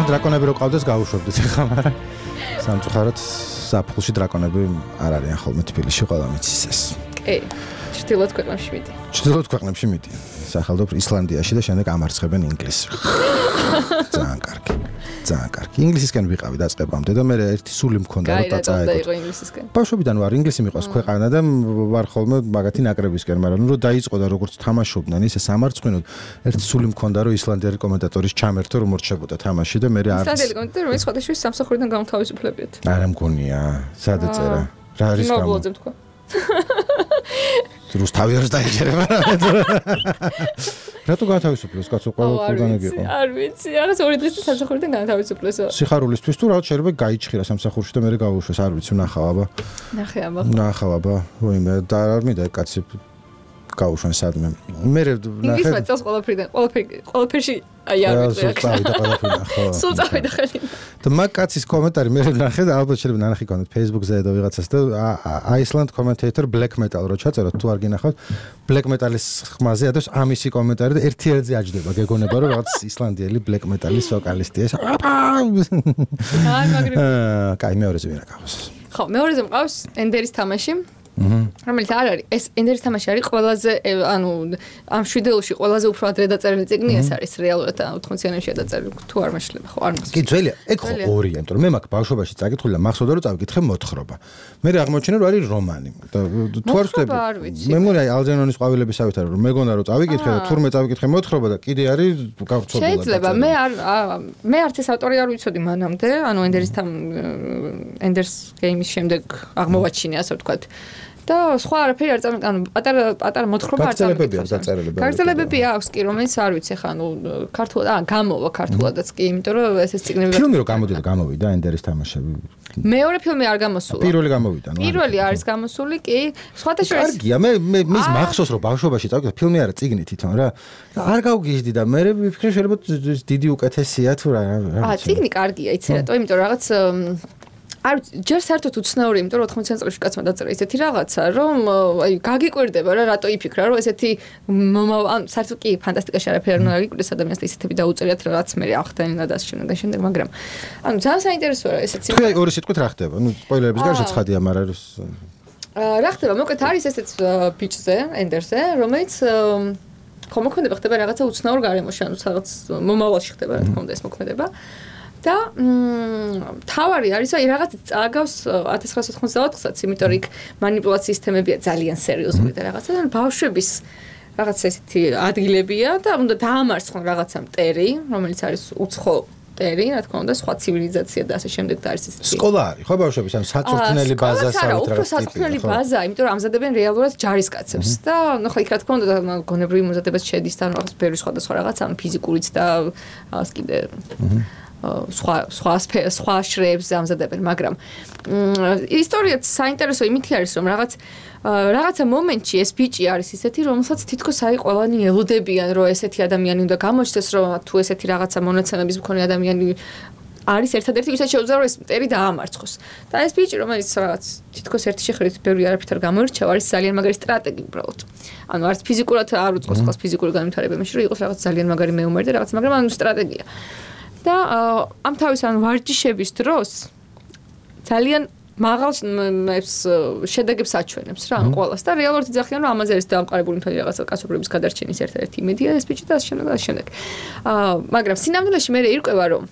დრაკონები რო ყავდეს გავუშვებდით ხა, მაგრამ სამწუხაროდ საფხულში დრაკონები არ არიან ხოლმე თბილისში, ყველა მიცის ეს. კი, ჩრდილოეთ ქვეყნებში მიდი. ჩრდილოეთ ქვეყნებში მიდი. სახელობ ისლანდიაში და შემდეგ ამარცხებენ ინგლისს. ძალიან კარგი. ძალიან კარგი. ინგლისისკენ ვიყავი დაწყებამდე და მე ერთი სული მქონდა რომ დაწაეგო. გაი, რა ინგლისისკენ. ბავშვობიდან ვარ, ინგლისი მიყვარს ქვეყანა და ვარ ხოლმე მაგათი ნაკრებისკენ, მაგრამ ნუ დაიწყო და როგორც თამაშობდნენ ისე სამარცხინოდ, ერთი სული მქონდა რომ ისლანდიელი კომენტატორის ჩამერთო რომ მორჩებოდა თამაში და მე არ ისლანდიელი კომენტატორი რომელიც სხვადასხვა სამსახურიდან გამთავისუფლებიათ. არა მგონია, სად ეწერა? რა არის გამო? მოგლოძებ თქვა. რუსთავი არის დაიჯერება რა. რატო გათავისუფლეს კაცო ყველგან იყო? არ ვიცი, რაღაც ორი დღის სამსახურიდან გათავისუფლეს. სიხარულისთვის თუ რაღაც შეიძლება გაიჩხირა სამსახურში და მე გავუშვეს, არ ვიცი, ნახავ აბა. ნახე აბა. ნახავ აბა. ვინმე და არ მინდა კაცი გავუშვენ სადმე. მე ნახე. ის მეწავს ყველაფრიდან, ყველაფერი ყველაფერში აი არ ვიცი. სულ წავიდა ყველაფერი, ხო. სულ წავიდა ხელი. და მაგ კაცის კომენტარი მე ნახე და ალბათ შეიძლება ნანახი კონდეთ Facebook-ზე და ვიღაცას და Iceland commentator black metal რო ჩაწეროთ თუ არ გინახავთ black metal-ის ხმაზე ადოს ამისი კომენტარი და ერთი ერთზე აჯდება გეგონება რომ რაღაც ისლანდიელი black metal-ის ვოკალისტია. აი მაგრები. კაი მეორეზე ვერა გავს. ხო, მეორეზე მყავს ენდერის თამაში. რომელიც არ არის ეს ენდერის თამაში არის ყველაზე ანუ ამ შვიდეულში ყველაზე უფრო ადრე დაწერილი წიგნი ეს არის რეალურად ოთხმოციანებში დაწერილი თუ არ მეშლება ხო არ მახსოვს კი ძველია ეგ ხო ორია იმიტომ რომ მე მაქვს ბავშვობაში წაკითხული და მახსოვდა რომ წავიკითხე მოთხრობა მე აღმოჩნდა რომ არის რომანი და თუ არ ვწდები მე მგონი აი ალჯერონის ყვავილების ავით არის რომ მეგონა რომ წავიკითხე და თურმე წავიკითხე მოთხრობა და კიდე არის გავრცელებული შეიძლება მე არ მე არც ეს ავტორი არ ვიცოდი მანამდე ანუ ენდერის თამ ენდერს გეიმის შემდეგ აღმოვაჩინე ასე ვთქვათ და სხვა არაფერი არ წამი ანუ პატარა პატარა მოთხრობა არ წამი გაგრძელებები აქვს კი რომელიც არ ვიცი ხა ანუ ქართულად აა გამოვა ქართულადაც კი იმიტომ რომ ეს ეს წიგნები ფილმი რო გამოდიდა გამოვიდა ენდერის თამაშები მეორე ფილმი არ გამოსულა პირველი გამოვიდა ნუ პირველი არის გამოსული კი სხვათა შორის კარგია მე მე მის მახსოვს რომ ბავშვობაში წავიკითხე ფილმი არა წიგნი თვითონ რა არ გავგიჟდი და მე ვიფიქრე შეიძლება დიდი უკეთესია თუ რა აა წიგნი კარგია იცი რატო იმიტომ რომ რაღაც არ ჯერ საერთოდ უცნაური იმიტომ რომ ოთხმოციან წლებში კაცმა დაწერა ისეთი რაღაცა რომ აი გაგიკვირდება რა რატო იფიქრა რომ ესეთი ან საერთოდ კი ფანტასტიკაში არაფერი არ უნდა გაგიკვირდეს ადამიანს და ისეთები დაუწერიათ რაღაც მე ახდენა და ასე შემდეგ და შემდეგ მაგრამ ანუ ძალიან საინტერესოა ესეც თუ აი ორი სიტყვით რა ხდება ნუ სპოილერების გარშე ცხადია მაგრამ რა ხდება მოკლედ არის ესეც ბიჭზე ენდერზე რომელიც ხომ მოქმედება ხდება რაღაცა უცნაურ გარემოში ანუ რაღაც მომავალში ხდება რა თქმა უნდა ეს მოქმედება და თავარი არის აი რაღაც წააგავს ათას ცხრაას ოთხმოცდაოთხსაც იმიტომ რომ იქ манипуляციის თემებია ძალიან სერიოზული და რაღაცა და ბავშვების რაღაც ესეთი ადგილებია და უნდა დაამარცხონ რაღაცა მტერი რომელიც არის უცხო მტერი რა თქმა უნდა სხვა ცივილიზაცია და ასე შემდეგ და არის ეს სკოლა არის ხო ბავშვების ანუ საწვრთნელი ბაზა საერთოდ რაღაც საწვრთნელი ბაზა იმიტომ რომ ამზადებენ რეალურად ჯარისკაცებს და ნუ ხო იქ რა თქმა უნდა გონებრივი მომზადებაც შედის და რაღაც ბევრი სხვადასხვა რაღაც ანუ ფიზიკურიც და რაღაც კიდე სხვა სხვა სხვა შრეებს ამზადებენ, მაგრამ ისტორიაც საინტერესო იმით არის, რომ რაღაც რაღაცა მომენტში ეს ბიჭი არის ისეთი, რომელსაც თითქოს აი ყველანი ელოდებიან, რომ ესეთი ადამიანი უნდა გამოჩნდეს, რომ თუ ესეთი რაღაცა მონაცემების მქონე ადამიანი არის ერთადერთი, ვისაც შეუძლია რომ ეს მტერი დაამარცხოს. და ეს ბიჭი, რომელიც რაღაც თითქოს ერთი შეხედვით ბევრი არაფრით არ გამოირჩევა, არის ძალიან მაგარი სტრატეგი უბრალოდ. ანუ არც ფიზიკურად არ უწყოს ხალხს ფიზიკური განვითარება, იმაში რომ იყოს რაღაც ძალიან მაგარი მეომარი და რაღაც, მაგრამ ანუ სტრატეგია. და ამ თავის ან ვარჯიშების დროს ძალიან მაღალ შედეგებს აჩვენებს რა ან ყოველას და რეალურად იძახიან რომ ამაზე არის დამყარებული მთელი რაღაცა კაცობრიობის გადარჩენის ერთ-ერთი იმედია ეს ბიჭი და ასე შემდეგ და ასე შემდეგ. აა მაგრამ სინამდვილეში მე ირკვევა რომ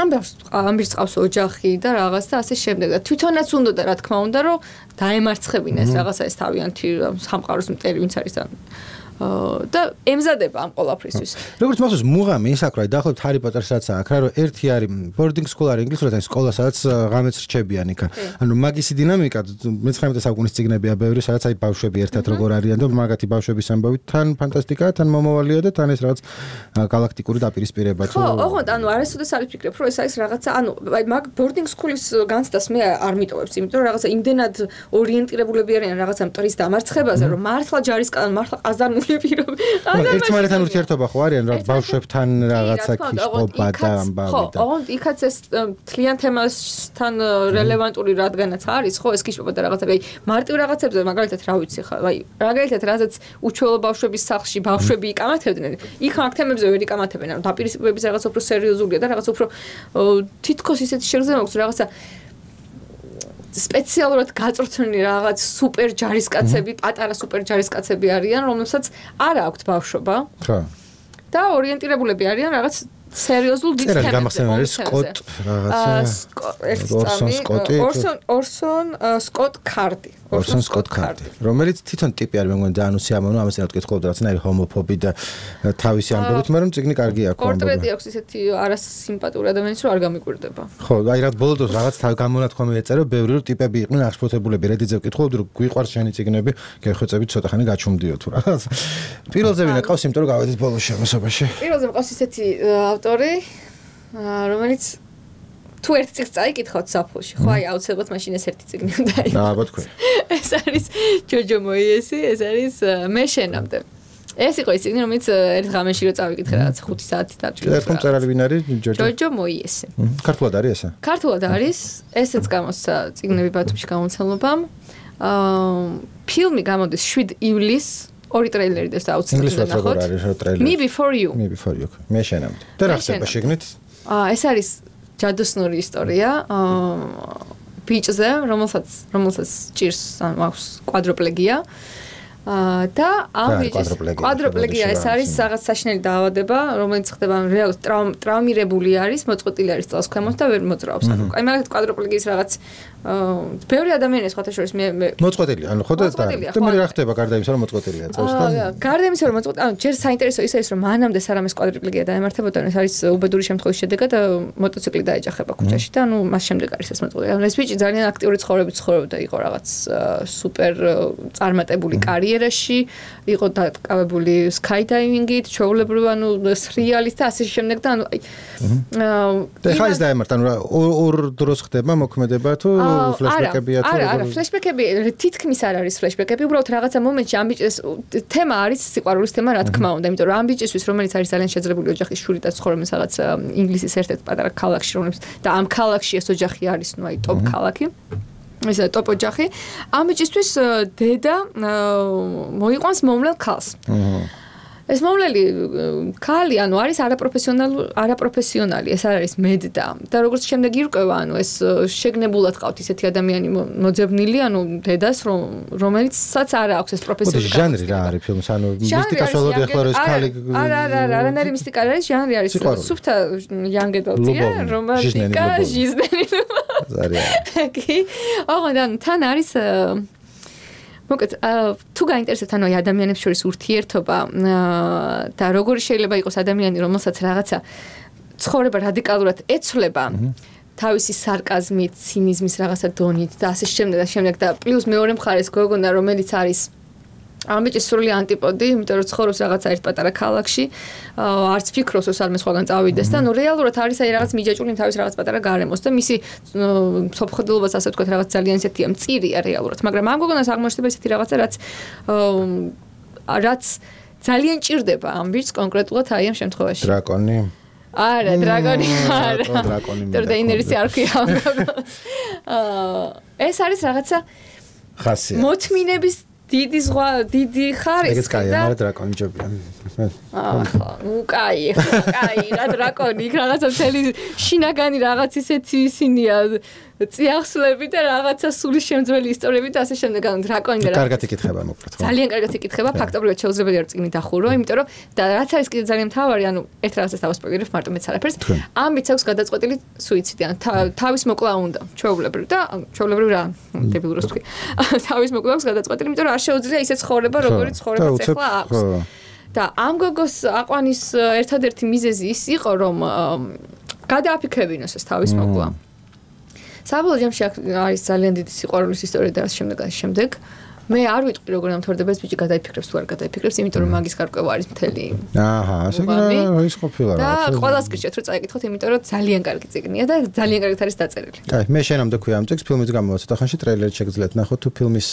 ამ ამბის ყავს ოჯახი და რაღაც და ასე შემდეგ და თვითონაც უნდა და რა თქმა უნდა რომ დაემარცხებინეს რაღაცა ეს თავიანთი სამყაროს მტერი ვინც არის და და ემზადება ამ ყველაფრისთვის. როგორც მახსოვს მუღამი ის აქ რა დაახლოებით ჰარი პოტერსაც აქ რა რომ ერთი არის ბორდინგ სკოლა არის ინგლისურად არის სკოლა სადაც ღამეც რჩებიან იქ. ანუ მაგისი დინამიკა მეცხრამეტე საუკუნის წიგნებია ბევრი სადაც აი ბავშვები ერთად როგორ არიან და მაგათი ბავშვების ამბავით თან ფანტასტიკაა თან მომავალია და თან ეს რაღაც galaktikuri დაპირისპირება თუ ხო, ოღონდ ანუ არასოდეს არ ვფიქრებ რომ ეს არის რაღაცა ანუ აი მაგ ბორდინგ სკულის განცდას მე არ მიტოვებს იმიტომ რომ რაღაცა იმდენად ორიენტირებულები არიან რაღაცა მტრის დამარცხებაზე რომ მართლა ჯარისკაცი მართლა ყაზარმული ერთმანეთთან ურთიერთობა ხო არიან რა ბავშვებთან რაღაცა ქიშობა და ამბავი და ხო, ოღონდ იქაც ეს თლიან თემასთან რელევანტური რადგანაც არის ხო ეს ქიშობა და რაღაცა აი მარტივ რაღაცებზე მაგალითად რა ვიცი ხო აი მაგალითად რაზეც უჩვეულო ბავშვების სახლში ბავშვები იკამათებდნენ იქ მაგ თემებზე ვერ იკამათებენ ანუ დაპირისპირების რაღაც უფრო სერიოზულია და რაღაც უფრო თითქოს ისეთი შეგრძნება აქვს რაღაცა სპეციალურად გაწვრთნილი რაღაც სუპერ ჯარისკაცები, პატარა სუპერ ჯარისკაცები არიან, რომლებსაც არ აქვთ ბავშვობა. ხო. და ორიენტირებულები არიან რაღაც სერიოზულ დიდ თემებზე. გამახსენე არის სკოტ რაღაცა. ორსონ სკოტი. ორსონ ორსონ სკოტ კარდი. ორსონ სკოტ კარდი. რომელიც თვითონ ტიპი არის, მე მგონი ძალიან უსიამოვნო, ამას რა ვკითხულობ, რაღაცნაირი ჰომოფობი და თავისი ამბებით, მაგრამ წიგნი კარგი აქვს. პორტრეტი აქვს ისეთი არასიმპათური ადამიანის, რომ არ გამიკვირდება. ხო, აი რა ბოლო დროს რაღაც თავ გამონათქვამი ეწერა, ბევრი რომ ტიპები იყვნენ აღშფოთებულები, რედიძე ვკითხულობდი, რომ გვიყვარს შენი წიგნები, გეხვეწებით ცოტა ხანი გაჩუმდიო თუ რაღაც. პირველზე ვინა ყავს, იმიტომ რომ გავედით ბოლოს შემოსობაში. პირველზე მყავს ისეთი ავტორი, რომელიც თუ ერთ წიგნს წაიკითხავთ საფულში, ხო აი აუცილებლად მაშინ ეს ერთი წიგნი უნდა იყოს. ნაბა თქვი. ეს არის ჯოჯო მოიესი, ეს არის მე შენამდე. ეს იყო ის წიგნი, რომელიც ერთ ღამეში რო წავიკითხე რაღაც ხუთი საათი დაჭირდა. ეს კონწერალი ვინ არის ჯოჯო? ჯოჯო მოიესი. ქართულად არის ესა? ქართულად არის, ესეც გამოსცა წიგნები ბათუმში გამომცემლობამ. აა ფილმი გამოდის შვიდ ივლისს. ორი ტრეილერი და აუცილებლად ნახოთ. Me before you. Me before you. მე შენამდე. და რა ხდება შეგნით? აა ეს არის ჯადოსნური ისტორია. აა ბიჭზე, რომელსაც რომელსაც ჭირს აქვს კვადროპლეგია. და ამ ბიჭის კვადროპლეგია ეს არის რაღაც საშინელი დაავადება, რომელიც ხდება რეალურად ტრავმირებული არის, მოწყვეტილი არის წელს ქვემოთ და ვერ მოძრაობს. აი მაგალითად კვადროპლეგიის რაღაც ბევრი ადამიანი სხვათა შორის მე მოწყვეტილი, ანუ ხო და და მე რა ხდება გარდა იმისა, რომ მოწყვეტილია წელს და გარდა იმისა, რომ მოწყვეტილი, ანუ ჯერ საინტერესო ის არის, რომ მანამდე სარამეს კვადროპლეგია დაემართებოდა, ეს არის უბედური შემთხვევის შედეგად მოტოციკლი დაეჯახება ქუჩაში და ანუ მას შემდეგ არის ეს მოწყვეტილი. ანუ ეს ბიჭი ძალიან აქტიური ცხოვრებით ცხოვრობდა, იყო რაღაც სუპერ წარმატებული კარიერაში, იყო დაკავებული skydiving-ით, ჩვეულებრივ ანუ სრიალით და ასე შემდეგ და ანუ და ხა ის დაემართა, ანუ ორ დროს ხდება მოქმედება თუ ფლეშბეკებია თუ არა, არა, ფლეშბეკები თითქმის არ არის ფლეშბეკები, უბრალოდ რაღაცა მომენტში ამ ბიჭის თემა არის სიყვარულის თემა, რა თქმა უნდა, იმიტომ რომ ამ ბიჭისთვის, რომელიც არის ძალიან შეძლებული ოჯახის შური და ცხოვრობს რაღაც ინგლისის ერთ-ერთ პატარა ქალაქში, რომელიც და ამ ქალაქში ეს ოჯახი არის, ну, აი, ტოპ ქალაქი. ეს ტოპ ოჯახი. ამ ბიჭისთვის დედა მოიყვანს მომვლელ ქალს. ეს მომვლელი ქალი, ანუ არის არაპროფესიონალი, არაპროფესიონალი, ეს არ არის მედდა. და როგორც შემდეგ ირკვევა, ანუ ეს შეგნებულად ყავთ ისეთი ადამიანი მოძებნილი, ანუ დედას, რომელიცაც არ აქვს ეს პროფესიული ჟანრი რა არის ფილმს, ანუ მისტიკას ველოდი ახლა რომ ეს ქალი არა, არა, არა, არანაირი მისტიკა არ არის, ჟანრი არის სუფთა იანგედალწია, რომანტიკა, ჟიზნელი. ზარია. კი. ოღონდ თან არის მოკეთ თუ გაინტერესებთ ანუ ადამიანებს შორის ურთიერთობა და როგორი შეიძლება იყოს ადამიანი რომელსაც რაღაცა ცხოვრება რადიკალურად ეცვლება თავისი სარკაზმით, ცინიზმის რაღაცა დონით და ასე შემდეგ და შემდეგ და პლუს მეორე მხარეს გოგონა რომელიც არის ამ ბიჭის სრული ანტიპოდი, იმიტომ რომ ცხოვრობს რაღაცა ერთ პატარა ქალაქში, არც ფიქრობს რომ სადმე სხვაგან წავიდეს და ნუ რეალურად არის აი რაღაც მიჯაჭული თავის რაღაც პატარა გარემოს და მისი სოფხდელობას ასე ვთქვათ რაღაც ძალიან ისეთია მწირია რეალურად, მაგრამ ამ გოგონას აღმოჩნდება ისეთი რაღაცა რაც რაც ძალიან ჭირდება ამ ბიჭს კონკრეტულად აი ამ შემთხვევაში. დრაკონი? არა, დრაკონი არა. დრაკონი. დეინერისი არ ქვია. ეს არის რაღაცა ხასია. მოთმინების დიდი ზღვა, დიდი ხარისხი. ეგეც კაი, მაგრამ დრაკონი ჯობია. ახლა, ნუ კაი, კაი, რა დრაკონი, რაღაცა მთელი შინაგანი რაღაც ისეთი ისინია წიაღსლები და რაღაცა სული შემძველი ისტორიები და ასე შემდეგ. ანუ დრაკონი და კარგად იკითხება მოკლედ, ხო? ძალიან კარგად იკითხება, ფაქტობრივად შეუძლებელია რომ წიგნი დახურო, იმიტომ რომ და რაც არის კიდე ძალიან მთავარი, ანუ ერთ რაღაცას დავასპოილერებ, მარტო მეც არაფერს. ამ ბიჭს აქვს გადაწყვეტილი სუიციდი, ანუ თავის მოკლა უნდა, ჩვეულებრივ და ჩვეულებრივ რა, დებილურს თქვი. თავის მოკლა აქვს გადაწყვეტილი, იმიტომ რომ არ შეუძლია ისე ცხოვრება, როგორიც ცხოვრებაც ახლა აქვს. და ამ გოგოს აყვანის ერთადერთი მიზეზი ის იყო, რომ გადააფიქრებინოს ეს თავის მოკლა. საბოლოო ჯამში არის ძალიან დიდი სიყვარულის ისტორია და ამ შემდეგ ამ შემდეგ მე არ ვიტყვი როგორ ამთავრდება ეს ბიჭი გადაიფიქრებს თუ არ გადაიფიქრებს, იმიტომ რომ მაგის გარკვევა არის მთელი. აჰა, ასე რა ის ყოფილა რა. და ყველას გირჩევთ რომ წაიკითხოთ, იმიტომ რომ ძალიან კარგი წიგნია და ძალიან კარგად არის დაწერილი. აი, მე შენამდე ქვია ამ წიგნს, ფილმის გამო ცოტა ხანში ტრეილერი შეგძლეთ ნახოთ თუ ფილმის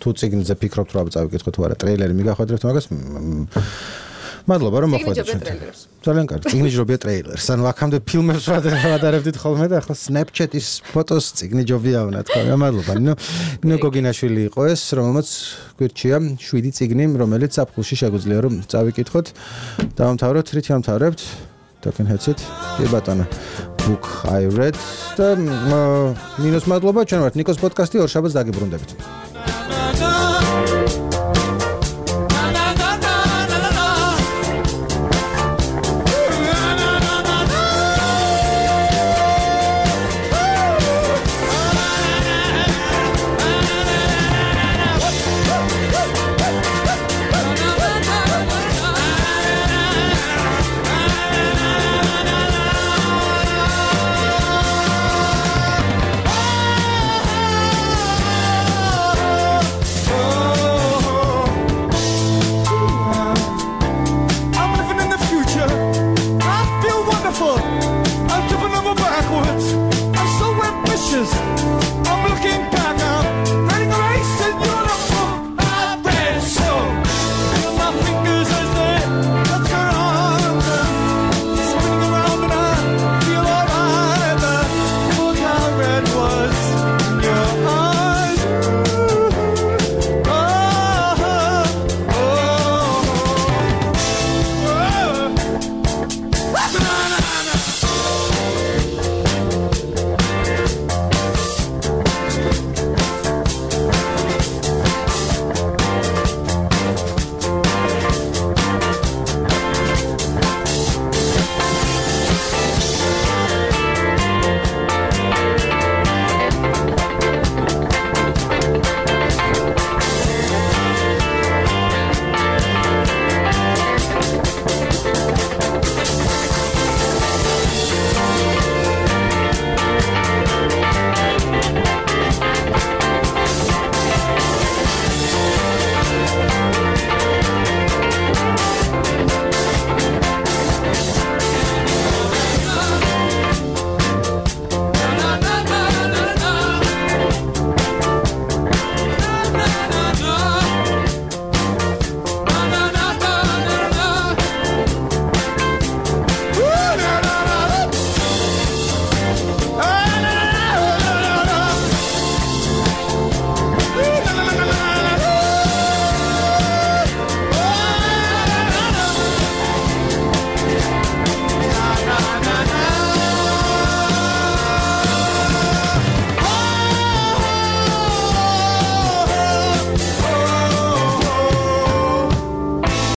თუ წიგნზე ფიქრობთ რა წავიკითხოთ თუ არა, ტრეილერი მიგახვედრებთ მაგას. მადლობა რომ მოხვედრით. ძალიან კარგი. წიგნი ჯობია ტრეილერს. ანუ აქამდე ფილმებს ვადარებდით ხოლმე და ახლა Snapchat-ის ფოტოს წიგნი ჯობია უნდა თქვა. მადლობა. ნუ ნუ გოგინაშვილი იყო ეს, რომელმაც გვირჩია შვიდი წიგნი, რომელიც საფხულში შეგვიძლია რომ წავიკითხოთ. დავამთავროთ, რითი ამთავრებთ? Talking Heads it. კი ბატონო. Book I read და ნინოს მადლობა, ჩვენ ვართ ნიკოს პოდკასტი, ორ შაბათს დაგიბრუნდებით.